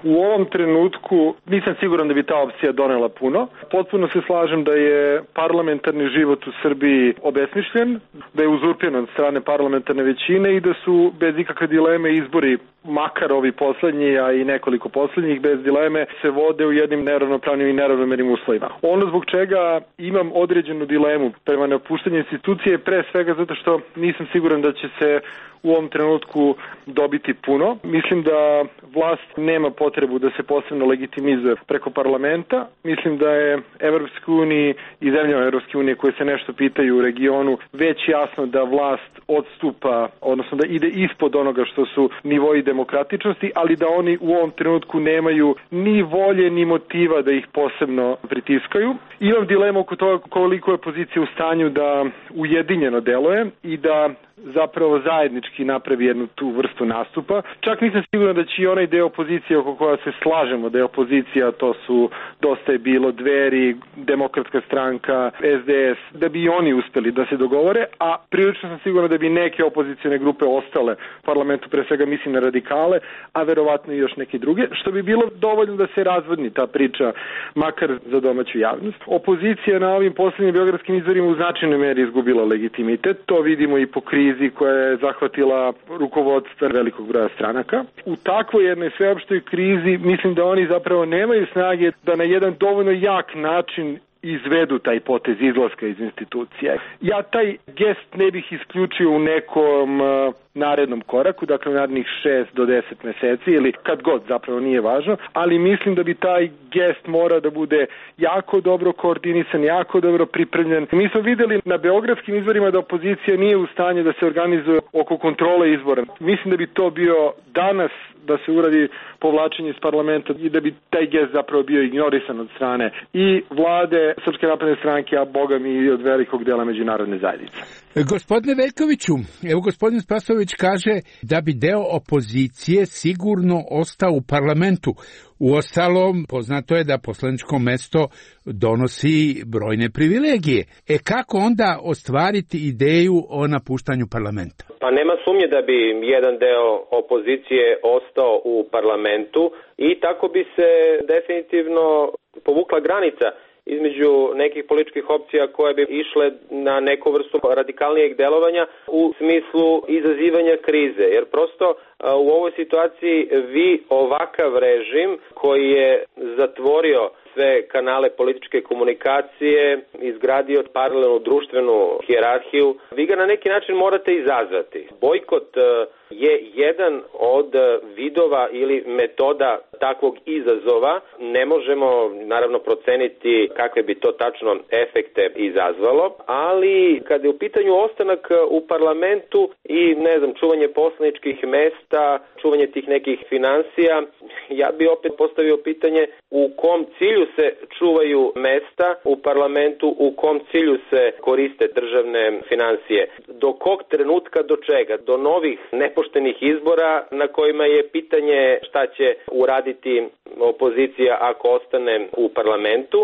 u ovom trenutku nisam siguran da bi ta opcija donela puno. Potpuno se slažem da je parlamentarni život u Srbiji obesmišljen, da je uzurpiran od strane parlamentarne većine i da su bez ikakve dileme izbori, makar ovi poslednji, a i nekoliko poslednjih, bez dileme se vode u jednim neravnopravnim i neravnomernim uslovima. Ono zbog čega imam određenu dilemu prema napuštanju institucije, pre svega zato što nisam siguran da će se u ovom trenutku dobiti puno. Mislim da vlast nema potrebu da se posebno legitimizuje preko parlamenta. Mislim da je Evropskoj uniji i zemljama Evropske unije koje se nešto pitaju u regionu već jasno da vlast odstupa, odnosno da ide ispod onoga što su nivoji demokratičnosti, ali da oni u ovom trenutku nemaju ni volje ni motiva da ih posebno pritiskaju. Imam dilemu oko toga koliko je opozicija u stanju da ujedinjeno deluje i da zapravo zajednički napravi jednu tu vrstu nastupa. Čak nisam siguran da će i onaj deo opozicije oko koja se slažemo da je opozicija, to su Dosta je bilo, Dveri, Demokratska stranka, S D S, da bi i oni uspeli da se dogovore, a prilično sam siguran da bi neke opozicijne grupe ostale u parlamentu, pre svega mislim na radikale, a verovatno i još neke druge, što bi bilo dovoljno da se razvodni ta priča, makar za domaću javnost. Opozicija na ovim poslednjim beogradskim izborima u značajnoj meri izgubila legitimitet, to vidimo i po krizi koja je zahvatila rukovodstva velikog broja stranaka. U takvoj jednoj sveopštoj krizi mislim da oni zapravo nemaju snage da na jedan dovoljno jak način izvedu taj potez izlaska iz institucija. Ja taj gest ne bih isključio u nekom uh, narednom koraku, dakle narednih šest do deset meseci ili kad god, zapravo nije važno, ali mislim da bi taj gest mora da bude jako dobro koordinisan, jako dobro pripremljen. Mi smo videli na beogradskim izborima da opozicija nije u stanju da se organizuje oko kontrole izbora. Mislim da bi to bio danas da se uradi povlačenje iz parlamenta i da bi taj gest zapravo bio ignorisan od strane i vlade Srpske napredne stranke, a boga mi i od velikog dela međunarodne zajednice. Gospodine Veljkoviću, evo gospodin Spasojević kaže da bi deo opozicije sigurno ostao u parlamentu. Uostalom, poznato je da poslaničko mesto donosi brojne privilegije. E kako onda ostvariti ideju o napuštanju parlamenta? Pa nema sumnje da bi jedan deo opozicije ostao u parlamentu i tako bi se definitivno povukla granica između nekih političkih opcija koje bi išle na neku vrstu radikalnijeg delovanja u smislu izazivanja krize. Jer prosto u ovoj situaciji vi ovakav režim koji je zatvorio sve kanale političke komunikacije, izgradio paralelnu društvenu hijerarhiju, vi ga na neki način morate izazvati. Bojkot je jedan od vidova ili metoda takvog izazova. Ne možemo naravno proceniti kakve bi to tačno efekte izazvalo, ali kada je u pitanju ostanak u parlamentu i ne znam, čuvanje poslaničkih mesta, čuvanje tih nekih financija, ja bi opet postavio pitanje u kom cilju se čuvaju mesta u parlamentu, u kom cilju se koriste državne financije. Do kog trenutka, do čega? Do novih nepoštenih izbora na kojima je pitanje šta će uraditi opozicija ako ostane u parlamentu.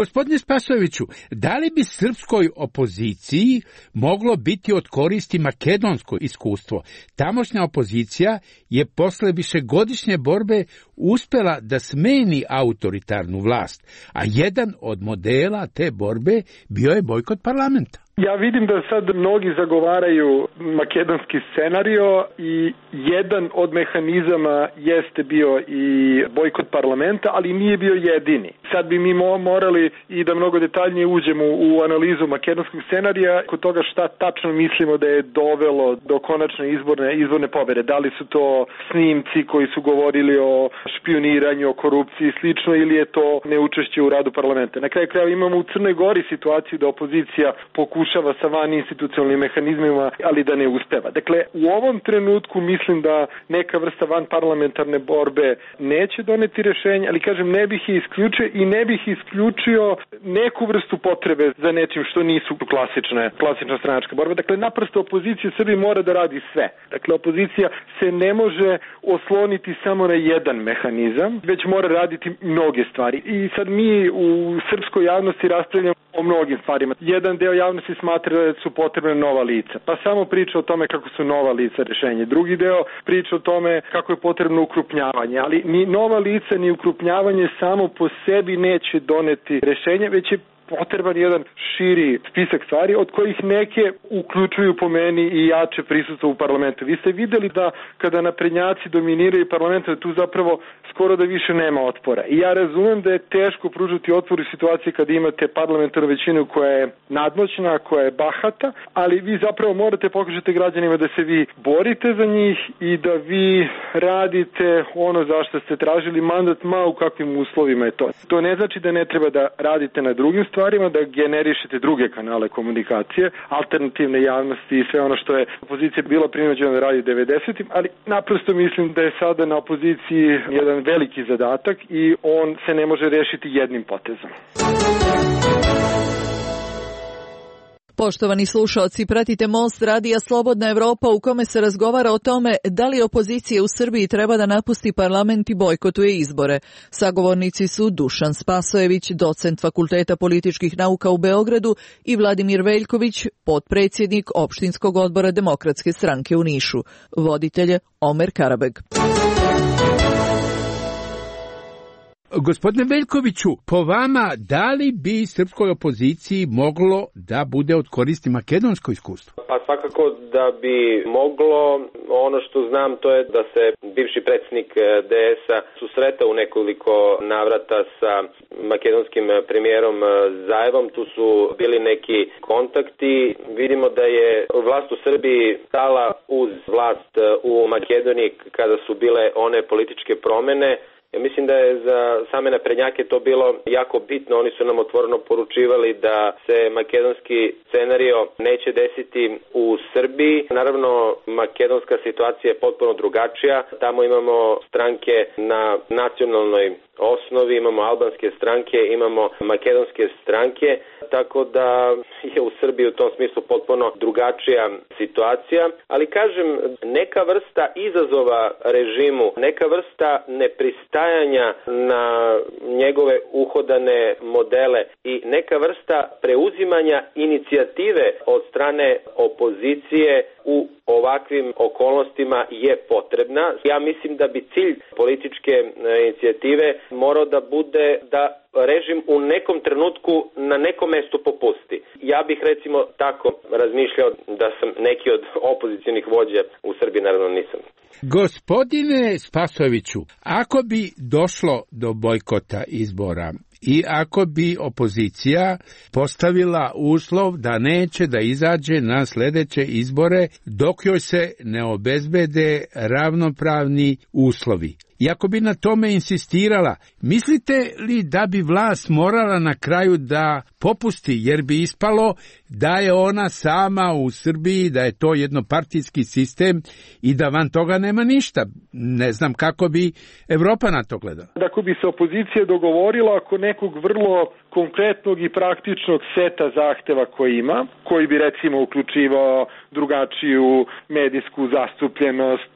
Gospodine Spasojeviću, da li bi srpskoj opoziciji moglo biti od koristi makedonsko iskustvo? Tamošnja opozicija je posle višegodišnje borbe uspela da smeni autoritarnu vlast, a jedan od modela te borbe bio je bojkot parlamenta. Ja vidim da sad mnogi zagovaraju makedonski scenario i jedan od mehanizama jeste bio i bojkot parlamenta, ali nije bio jedini. Sad bi mi morali i da mnogo detaljnije uđemo u analizu makedonskog scenarija kod toga šta tačno mislimo da je dovelo do konačne izborne, izborne pobede. Da li su to snimci koji su govorili o špioniranju, o korupciji i slično, ili je to neučešće u radu parlamenta. Na kraju krajeva imamo u Crnoj Gori situaciju da opozicija pokušava sa van institucionalnim mehanizmima, ali da ne uspeva. Dakle, u ovom trenutku mislim da neka vrsta van parlamentarne borbe neće doneti rešenje, ali kažem, ne bih je isključio i ne bih isključio neku vrstu potrebe za nečim što nisu klasične, klasična stranačka borba. Dakle, naprosto opozicija Srbije mora da radi sve. Dakle, opozicija se ne može osloniti samo na jedan mehanizam, već mora raditi mnoge stvari. I sad mi u srpskoj javnosti raspravljamo o mnogim stvarima. Jedan deo javnosti smatra da su potrebne nova lica, pa samo priča o tome kako su nova lica rešenje. Drugi deo priča o tome kako je potrebno ukrupnjavanje, ali ni nova lica ni ukrupnjavanje samo po sebi neće doneti rešenje, već je potreban jedan širi spisak stvari, od kojih neke uključuju po meni i jače prisustvo u parlamentu. Vi ste videli da kada naprednjaci dominiraju parlament, da tu zapravo skoro da više nema otpora. I ja razumem da je teško pružiti otpor u situaciji kada imate parlamentarnu većinu koja je nadmoćna, koja je bahata, ali vi zapravo morate pokažete građanima da se vi borite za njih i da vi radite ono za što ste tražili mandat, ma u kakvim uslovima je to. To ne znači da ne treba da radite na drugim stvarima, da generišete druge kanale komunikacije, alternativne javnosti i sve ono što je opozicija bila prinuđena da radi devedesetim, ali naprosto mislim da je sada na opoziciji jedan veliki zadatak i on se ne može rešiti jednim potezom. Poštovani slušaoci, pratite Most radija Slobodna Evropa u kome se razgovara o tome da li opozicija u Srbiji treba da napusti parlament i bojkotuje izbore. Sagovornici su Dušan Spasojević, docent Fakulteta političkih nauka u Beogradu, i Vladimir Veljković, potpredsjednik opštinskog odbora Demokratske stranke u Nišu. Voditelj je Omer Karabeg. Gospodine Veljkoviću, po vama, da li bi srpskoj opoziciji moglo da bude od koristi makedonsko iskustvo? Pa svakako da bi moglo. Ono što znam to je da se bivši predsjednik D S-a susretao u nekoliko navrata sa makedonskim premijerom Zajevom. Tu su bili neki kontakti. Vidimo da je vlast u Srbiji stala uz vlast u Makedoniji kada su bile one političke promjene. Ja mislim da je za same naprednjake to bilo jako bitno. Oni su nam otvoreno poručivali da se makedonski scenario neće desiti u Srbiji. Naravno, makedonska situacija je potpuno drugačija. Tamo imamo stranke na nacionalnoj osnovi, imamo albanske stranke, imamo makedonske stranke, tako da je u Srbiji u tom smislu potpuno drugačija situacija. Ali kažem, neka vrsta izazova režimu, neka vrsta nepristajanja na njegove uhodane modele i neka vrsta preuzimanja inicijative od strane opozicije u ovakvim okolnostima je potrebna. Ja mislim da bi cilj političke inicijative morao da bude da režim u nekom trenutku na nekom mestu popusti. Ja bih recimo tako razmišljao da sam neki od opozicionih vođa u Srbiji, naravno nisam. Gospodine Spasojeviću, ako bi došlo do bojkota izbora i ako bi opozicija postavila uslov da neće da izađe na sljedeće izbore dok joj se ne obezbede ravnopravni uslovi, i ako bi na tome insistirala, mislite li da bi vlast morala na kraju da popusti, jer bi ispalo da je ona sama u Srbiji, da je to jednopartijski sistem i da van toga nema ništa? Ne znam kako bi Evropa na to gledala. Ako bi se opozicija dogovorila oko nekog vrlo konkretnog i praktičnog seta zahteva koji ima, koji bi recimo uključivao drugačiju medijsku zastupljenost,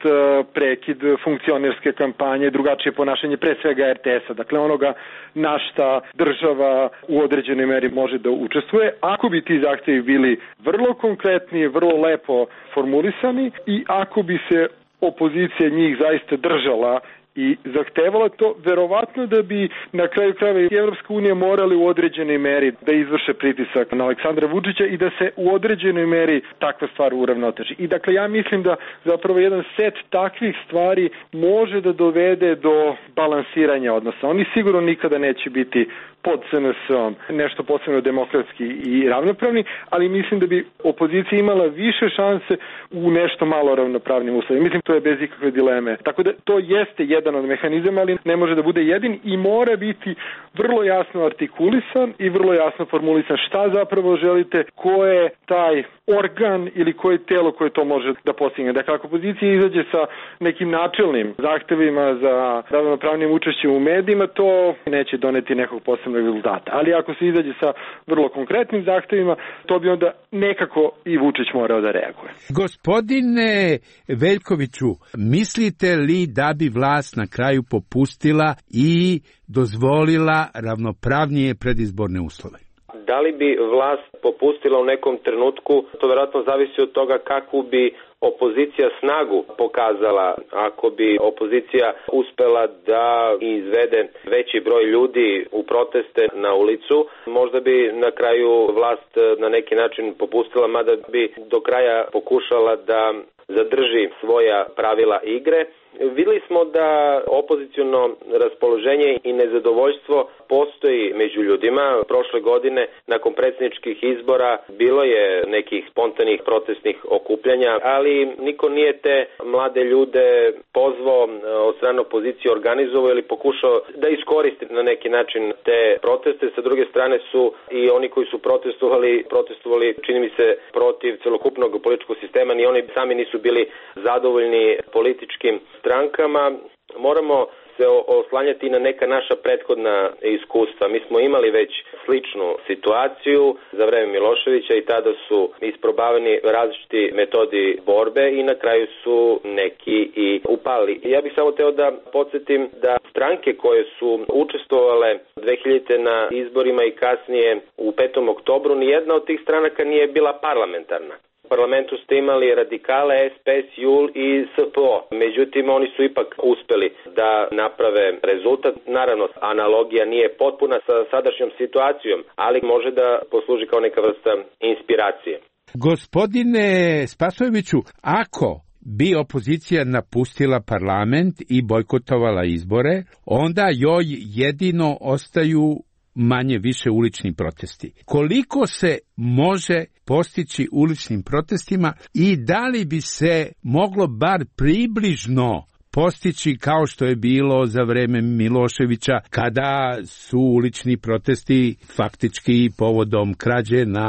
prekid funkcionerske kampanje, drugačije ponašanje pre svega R T S-a, dakle onoga na šta država u određenoj meri može da učestvuje. Ako bi ti zahtevi bili vrlo konkretni, vrlo lepo formulisani i ako bi se opozicija njih zaista držala i zahtevala to, verovatno da bi na kraju krajeva i Evropska unija morali u određenoj meri da izvrše pritisak na Aleksandra Vučića i da se u određenoj meri takva stvar uravnoteži. I dakle ja mislim da zapravo jedan set takvih stvari može da dovede do balansiranja odnosa. Oni sigurno nikada neće biti pod S N S-om nešto posebno demokratski i ravnopravni, ali mislim da bi opozicija imala više šanse u nešto malo ravnopravnim uslovima. Mislim to je bez ikakve dileme. Tako da to jeste jedan od mehanizama, ali ne može da bude jedin i mora biti vrlo jasno artikulisan i vrlo jasno formulisan šta zapravo želite, ko je taj organ ili koje telo koje to može da postigne. Dakle, ako opozicija izađe sa nekim načelnim zahtevima za ravnopravnim učešćem u medijima, to neće doneti nekog posebnog rezultata. Ali ako se izađe sa vrlo konkretnim zahtevima, to bi onda nekako i Vučić morao da reaguje. Gospodine Veljkoviću, mislite li da bi vlast na kraju popustila i dozvolila ravnopravnije predizborne uslove? Da li bi vlast popustila u nekom trenutku, to vjerojatno zavisi od toga kakvu bi opozicija snagu pokazala. Ako bi opozicija uspela da izvede veći broj ljudi u proteste na ulicu, možda bi na kraju vlast na neki način popustila, mada bi do kraja pokušala da zadrži svoja pravila igre. Vidjeli smo da opoziciono raspoloženje i nezadovoljstvo postoji među ljudima. Prošle godine, nakon predsjedničkih izbora, bilo je nekih spontanih protestnih okupljanja, ali niko nije te mlade ljude pozvao od strane opozicije, organizovao ili pokušao da iskoristi na neki način te proteste. Sa druge strane su i oni koji su protestovali, protestovali, čini mi se, protiv celokupnog političkog sistema, ni oni sami nisu bili zadovoljni političkim strankama. Moramo se oslanjati na neka naša prethodna iskustva. Mi smo imali već sličnu situaciju za vreme Miloševića i tada su isprobavani različiti metodi borbe i na kraju su neki i upali. Ja bih samo teo da podsjetim da stranke koje su učestvovale dve hiljadite na izborima i kasnije u petom oktobru, nijedna od tih stranaka nije bila parlamentarna. parlamentu ste imali radikale, S P S, J U L i S P O. Međutim, oni su ipak uspeli da naprave rezultat. Naravno, analogija nije potpuna sa sadašnjom situacijom, ali može da posluži kao neka vrsta inspiracije. Gospodine Spasojeviću, ako bi opozicija napustila parlament i bojkotovala izbore, onda joj jedino ostaju manje više ulični protesti. Koliko se može postići uličnim protestima i da li bi se moglo bar približno postići kao što je bilo za vreme Miloševića, kada su ulični protesti faktički povodom krađe na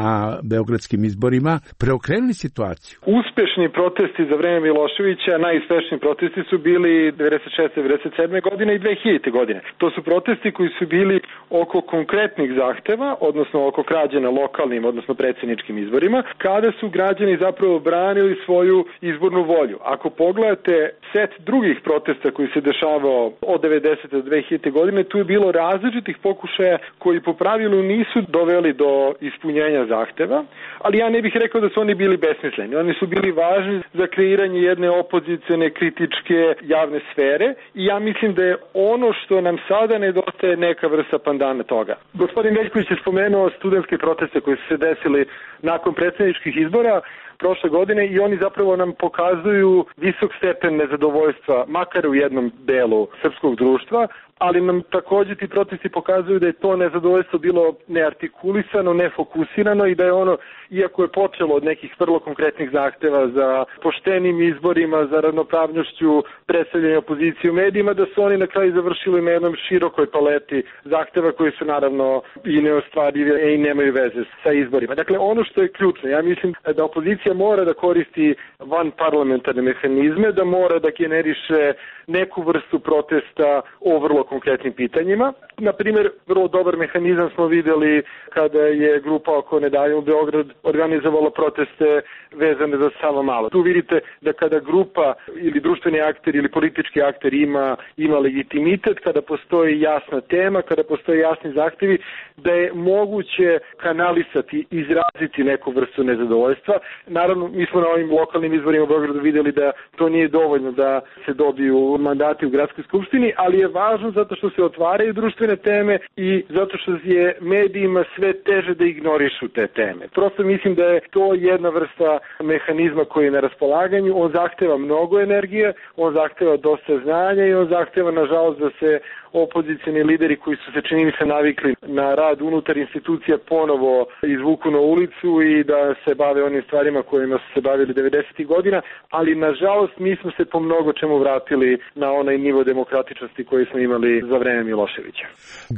beogradskim izborima preokrenuli situaciju? Uspešni protesti za vreme Miloševića, najuspešniji protesti su bili devedeset šeste devedeset sedme godine i dve hiljadite godine. To su protesti koji su bili oko konkretnih zahteva, odnosno oko krađe na lokalnim, odnosno predsjedničkim izborima, kada su građani zapravo branili svoju izbornu volju. Ako pogledate set drugih protesta koji se dešavao od devedesete do dve hiljadite godine, tu je bilo različitih pokušaja koji po pravilu nisu doveli do ispunjenja zahteva, ali ja ne bih rekao da su oni bili besmisleni. Oni su bili važni za kreiranje jedne opozicione kritičke javne sfere i ja mislim da je ono što nam sada nedostaje neka vrsta pandana toga. Gospodin Veljković je spomenuo studentske proteste koji su se desili nakon predsjedničkih izbora prošle godine i oni zapravo nam pokazuju visok stepen nezadovoljstva, makar u jednom delu srpskog društva, ali nam također ti protesti pokazuju da je to nezadovoljstvo bilo neartikulisano, nefokusirano i da je ono, iako je počelo od nekih vrlo konkretnih zahteva za poštenim izborima, za ravnopravnošću predstavljanja opozicije u medijima, da su oni na kraju završili na jednom širokoj paleti zahteva koji su naravno i neostvarivi i nemaju veze sa izborima. Dakle, ono što je ključno, ja mislim da opozicija mora da koristi van parlamentarne mehanizme, da mora da generiše neku vrstu protesta o vrlo konkretnim pitanjima. Na primjer, vrlo dobar mehanizam smo vidjeli kada je grupa Oko ne daju u Beograd organizovala proteste vezane za Savamala. Tu vidite da kada grupa ili društveni akter ili politički akter ima, ima legitimitet, kada postoji jasna tema, kada postoji jasni zahtjevi, da je moguće kanalisati, izraziti neku vrstu nezadovoljstva. Naravno, mi smo na ovim lokalnim izborima u Beogradu vidjeli da to nije dovoljno da se dobiju mandati u gradskoj skupštini, ali je važno zato što se otvaraju društvene teme i zato što je medijima sve teže da ignorišu te teme. Prosto mislim da je to jedna vrsta mehanizma koji je na raspolaganju. On zahteva mnogo energije, on zahteva dosta znanja i on zahteva, nažalost, da se opozicijni lideri koji su se, čini mi se, navikli na rad unutar institucija ponovo izvuku na ulicu i da se bave onim stvarima kojima su se bavili devedesetih godina, ali nažalost mi smo se po mnogo čemu vratili na onaj nivo demokratičnosti koji smo imali za vreme Miloševića.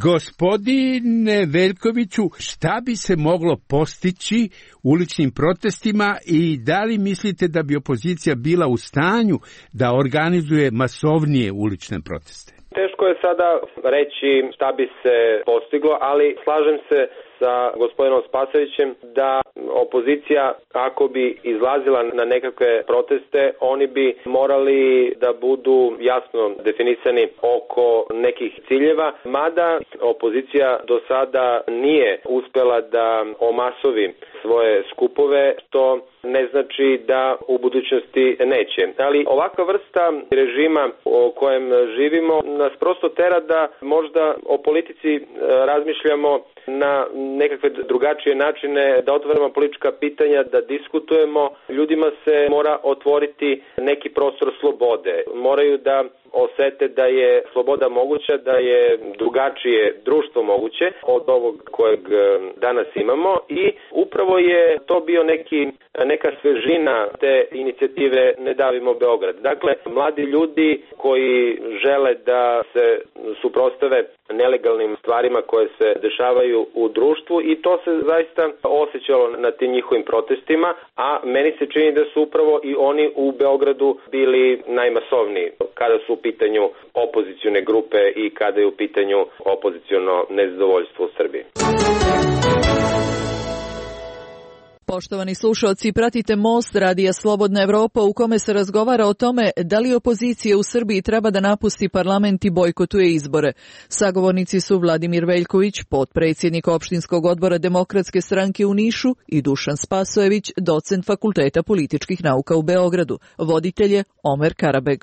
Gospodine Veljkoviću, šta bi se moglo postići uličnim protestima i da li mislite da bi opozicija bila u stanju da organizuje masovnije ulične proteste? Teško je sada reći šta bi se postiglo, ali slažem se sa gospodinom Spasojevićem da opozicija, ako bi izlazila na nekakve proteste, oni bi morali da budu jasno definisani oko nekih ciljeva, mada opozicija do sada nije uspela da omasovi svoje skupove, što ne znači da u budućnosti neće. Ali ovakva vrsta režima o kojem živimo nas prosto tera da možda o politici razmišljamo na nekakve drugačije načine, da otvaramo politička pitanja, da diskutujemo. Ljudima se mora otvoriti neki prostor slobode. Moraju da osete da je sloboda moguća, da je drugačije društvo moguće od ovog kojeg danas imamo i upravo je to bio neki, neka svežina te inicijative Ne davimo Beograd. Dakle, mladi ljudi koji žele da se suprotstave nelegalnim stvarima koje se dešavaju u društvu i to se zaista osjećalo na tim njihovim protestima, a meni se čini da su upravo i oni u Beogradu bili najmasovniji kada su u pitanju opozicione grupe i kada je u pitanju opoziciono nezadovoljstvo u Srbiji. Poštovani slušalci, pratite Most radija Slobodna Evropa u kome se razgovara o tome da li opozicija u Srbiji treba da napusti parlament i bojkotuje izbore. Sagovornici su Vladimir Veljković, potpredsjednik opštinskog odbora Demokratske stranke u Nišu, i Dušan Spasojević, docent Fakulteta političkih nauka u Beogradu. Voditelj je Omer Karabeg.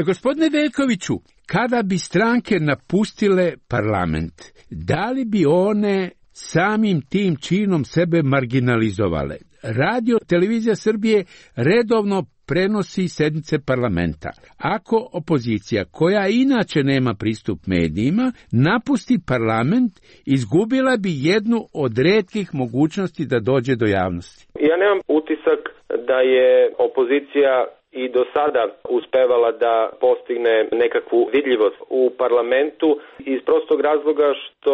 Gospodine Veljkoviću, kada bi stranke napustile parlament, da li bi one samim tim činom sebe marginalizovale? Radio Televizija Srbije redovno prenosi sednice parlamenta. Ako opozicija, koja inače nema pristup medijima, napusti parlament, izgubila bi jednu od retkih mogućnosti da dođe do javnosti. Ja nemam utisak da je opozicija i do sada uspevala da postigne nekakvu vidljivost u parlamentu iz prostog razloga što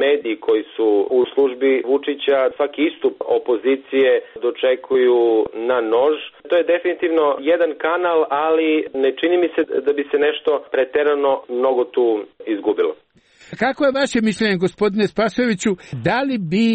mediji koji su u službi Vučića svaki istup opozicije dočekuju na nož. To je definitivno jedan kanal, ali ne čini mi se da bi se nešto preterano mnogo tu izgubilo. Kako je vaše mišljenje, gospodine Spasojeviću, da li bi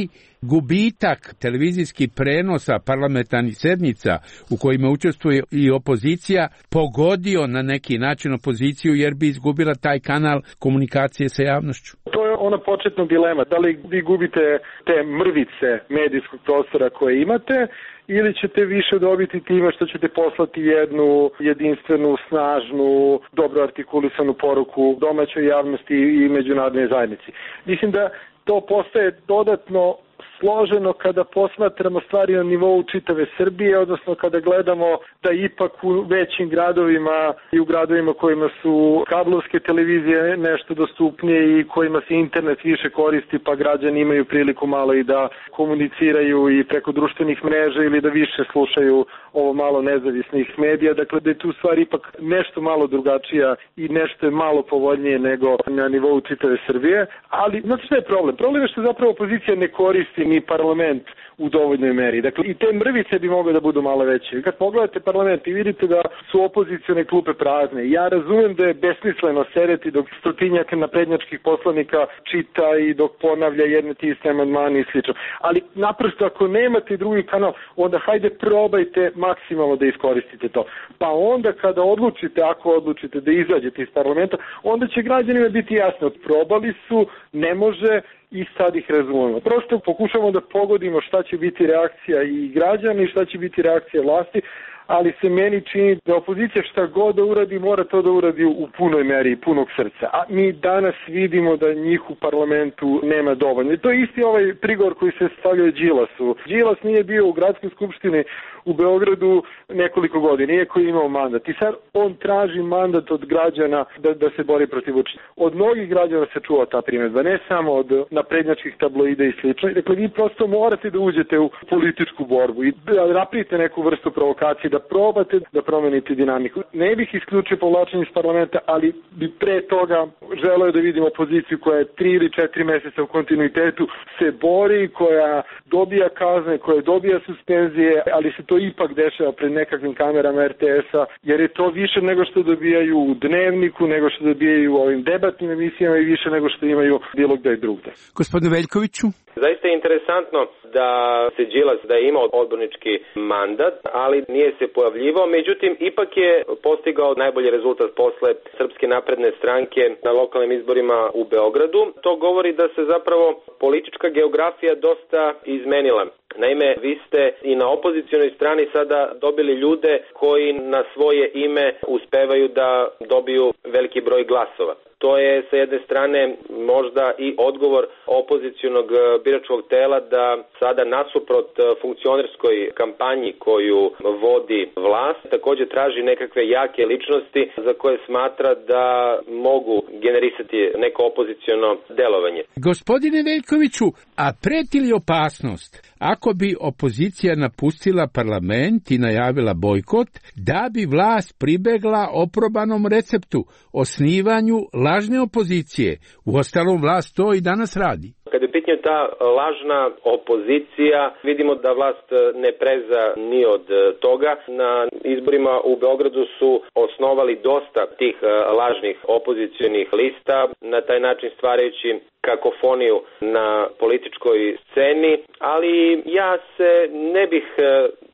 gubitak televizijskih prenosa parlamentarnih sednica u kojima učestvuje i opozicija pogodio na neki način opoziciju jer bi izgubila taj kanal komunikacije sa javnošću? To je ona početna dilema. Da li vi gubite te mrvice medijskog prostora koje imate ili ćete više dobiti time što ćete poslati jednu jedinstvenu, snažnu, dobro artikulisanu poruku domaćoj javnosti i međunarodnoj zajednici. Mislim da to postaje dodatno složeno kada posmatramo stvari na nivou čitave Srbije, odnosno kada gledamo da ipak u većim gradovima i u gradovima kojima su kablovske televizije nešto dostupnije i kojima se internet više koristi, pa građani imaju priliku malo i da komuniciraju i preko društvenih mreža ili da više slušaju ovo malo nezavisnih medija. Dakle, da je tu stvar ipak nešto malo drugačija i nešto je malo povoljnije nego na nivou čitave Srbije. Ali, znate što je problem? Problem je što zapravo opozicija ne koristi ni parlament u dovoljnoj meri. Dakle, i te mrvice bi mogle da budu malo veće. Kad pogledate parlament i vidite da su opozicione klupe prazne, ja razumem da je besmisleno sedeti dok stotinjak naprednjačkih poslanika čita i dok ponavlja jedne te iste amandmane i slično. Ali naprosto ako nemate drugi kanal, onda hajde probajte maksimalno da iskoristite to. Pa onda kada odlučite, ako odlučite da izađete iz parlamenta, onda će građanima biti jasno. Probali su, ne može, i sad ih razumemo. Prosto pokušamo da pogodimo šta će biti reakcija i građana i šta će biti reakcija vlasti, ali se meni čini da opozicija šta god da uradi, mora to da uradi u punoj meri i punog srca. A mi danas vidimo da njih u parlamentu nema dovoljno. I to je isti ovaj prigovor koji se stavljaju Đilasu. Đilas nije bio u gradskoj skupštini u Beogradu nekoliko godina, iako je imao mandat. I sad on traži mandat od građana da, da se bori protiv Vučića. Od mnogih građana se čuva ta primjedba, ne samo od naprednjačkih tabloida i slično. Dakle, vi prosto morate da uđete u političku borbu i da napravite neku vrstu provokacije, da probate da promenite dinamiku. Ne bih isključio povlačenje iz parlamenta, ali bi pre toga želeo da vidim opoziciju koja je tri ili četiri meseca u kontinuitetu se bori, koja dobija kazne, koja dobija suspenzije, ali se to ipak dešava pred nekakvim kamerama er te es-a, jer je to više nego što dobijaju u Dnevniku, nego što dobijaju u ovim debatnim emisijama i više nego što imaju bilo gde drugde. Gospodine Veljkoviću? Zaista je interesantno da se Đilas da je imao odbornički mandat, ali nije se pojavljivao, međutim ipak je postigao najbolji rezultat posle Srpske napredne stranke na lokalnim izborima u Beogradu. To govori da se zapravo politička geografija dosta izmenila. Naime, vi ste i na opozicionoj strani sada dobili ljude koji na svoje ime uspevaju da dobiju veliki broj glasova. To je sa jedne strane možda i odgovor opozicionog biračkog tela da sada nasuprot funkcionerskoj kampanji koju vodi vlast također traži nekakve jake ličnosti za koje smatra da mogu generisati neko opoziciono delovanje. Gospodine Veljkoviću, a preti li opasnost ako bi opozicija napustila parlament i najavila bojkot, da bi vlast pribegla oprobanom receptu osnivanju lažne opozicije? Uostalom, vlast to i danas radi. Kad je pitanje ta lažna opozicija, vidimo da vlast ne preza ni od toga. Na izborima u Beogradu su osnovali dosta tih lažnih opozicionih lista, na taj način stvarajući kakofoniju na političkoj sceni, ali ja se ne bih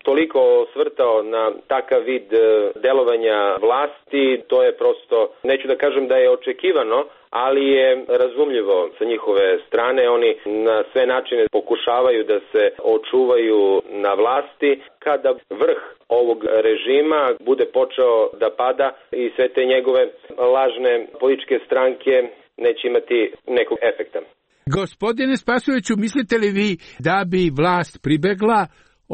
toliko osvrtao na takav vid delovanja vlasti. To je prosto, neću da kažem da je očekivano, ali je razumljivo sa njihove strane. Oni na sve načine pokušavaju da se očuvaju na vlasti. Kada vrh ovog režima bude počeo da pada i sve te njegove lažne političke stranke neće imati nekog efekta. Gospodine Spasojeviću, mislite li vi da bi vlast pribegla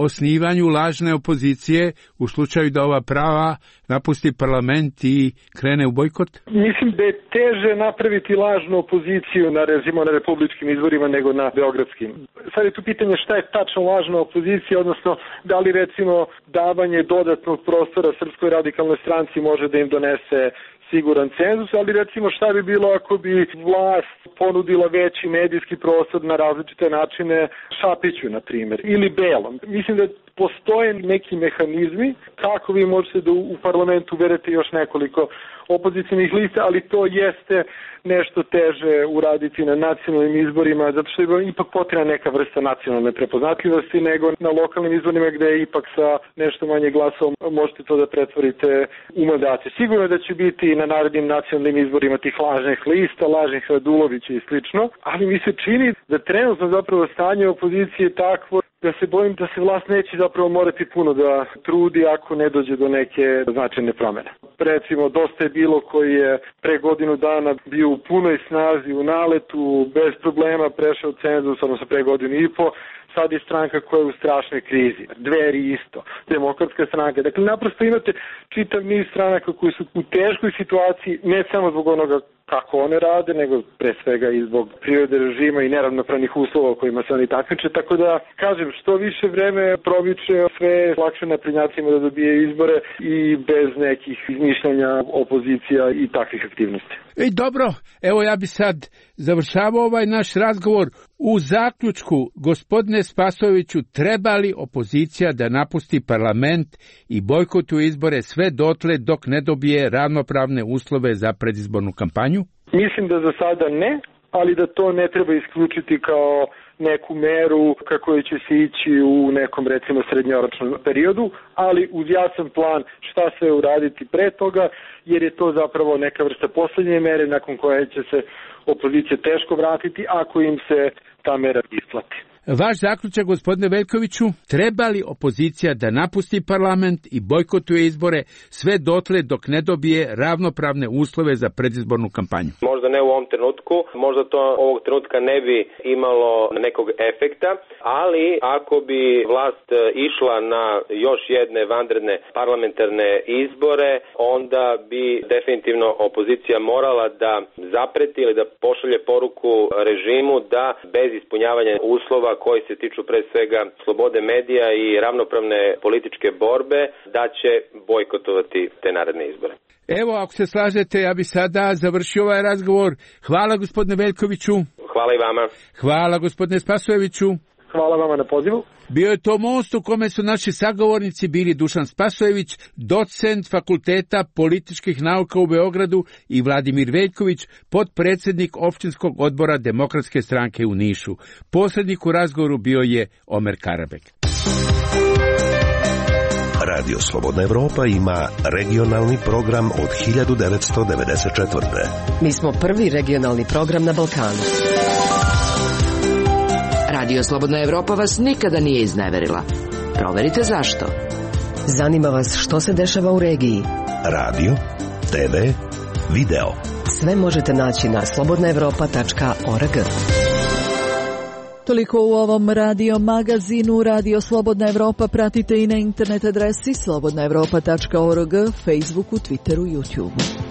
osnivanju lažne opozicije u slučaju da ova prava napusti parlament i krene u bojkot? Mislim da je teže napraviti lažnu opoziciju na, recimo, na republičkim izborima nego na beogradskim. Sad je tu pitanje šta je tačno lažna opozicija, odnosno da li recimo davanje dodatnog prostora Srpskoj radikalnoj stranci može da im donese siguran cenzus, ali recimo šta bi bilo ako bi vlast ponudila veći medijski prostor na različite načine Šapiću, na primjer, ili Belom. Mislim da postoje neki mehanizmi kako vi možete da u parlamentu uvedete još nekoliko opozicijnih lista, ali to jeste nešto teže uraditi na nacionalnim izborima, zato što je ipak potrebna neka vrsta nacionalne prepoznatljivosti nego na lokalnim izborima gde ipak sa nešto manje glasova možete to da pretvorite u mandate. Sigurno je da će biti na narednim nacionalnim izborima tih lažnih lista, lažnih Radulovića i slično, ali mi se čini da trenutno zapravo stanje opozicije je takvo da se bojim da se vlast neće zapravo morati puno da trudi ako ne dođe do neke značajne promene. Recimo, dosta je bilo koji je pre godinu dana bio u punoj snazi, u naletu, bez problema prešao cenzus, odnosno pre godinu i po, sad je stranka koja je u strašnoj krizi. Dveri isto, Demokratska stranka. Dakle, naprosto imate čitav niz stranaka koji su u teškoj situaciji, ne samo zbog onoga kako one rade, nego pre svega i zbog prirode režima i neravnopravnih uslova u kojima se oni takmiče. Tako da, kažem, što više vreme proviče, sve lakše naprednjacima da dobije izbore i bez nekih izmišljanja opozicija i takvih aktivnosti. Ej, dobro, evo ja bi sad završavao ovaj naš razgovor. U zaključku, gospodine Spasojeviću, treba li opozicija da napusti parlament i bojkotuje izbore sve dotle dok ne dobije ravnopravne uslove za predizbornu kampanju? Mislim da za sada ne, ali da to ne treba isključiti kao neku meru kako će se ići u nekom, recimo, srednjoročnom periodu, ali uz jasan plan šta sve uraditi pre toga, jer je to zapravo neka vrsta poslednje mere nakon koje će se opozicija teško vratiti ako im se ta mera isplati. Vaš zaključak, gospodine Veljkoviću, treba li opozicija da napusti parlament i bojkotuje izbore sve dotle dok ne dobije ravnopravne uslove za predizbornu kampanju? Možda ne u ovom trenutku, možda to ovog trenutka ne bi imalo nekog efekta, ali ako bi vlast išla na još jedne vanredne parlamentarne izbore, onda bi definitivno opozicija morala da zapreti ili da pošalje poruku režimu da bez ispunjavanja uslova koji se tiču pre svega slobode medija i ravnopravne političke borbe, da će bojkotovati te naredne izbore. Evo, ako se slažete, ja bi sada završio ovaj razgovor. Hvala, gospodine Veljkoviću. Hvala i vama. Hvala, gospodine Spasojeviću. Hvala vama na pozivu. Bio je to most u kome su naši sagovornici bili Dušan Spasojević, docent Fakulteta političkih nauka u Beogradu, i Vladimir Veljković, potpredsjednik opštinskog odbora Demokratske stranke u Nišu. Posrednik u razgovoru bio je Omer Karabek. Radio Slobodna Evropa ima regionalni program od hiljadu devetsto devedeset četvrte. Mi smo prvi regionalni program na Balkanu. Radio Slobodna Evropa vas nikada nije izneverila. Proverite zašto. Zanima vas što se dešava u regiji. Radio, te ve, video. Sve možete naći na slobodna evropa tačka org. Toliko u ovom radio magazinu. Radio Slobodna Evropa pratite i na internet adresi slobodna evropa tačka org, Facebooku, Twitteru, YouTubeu.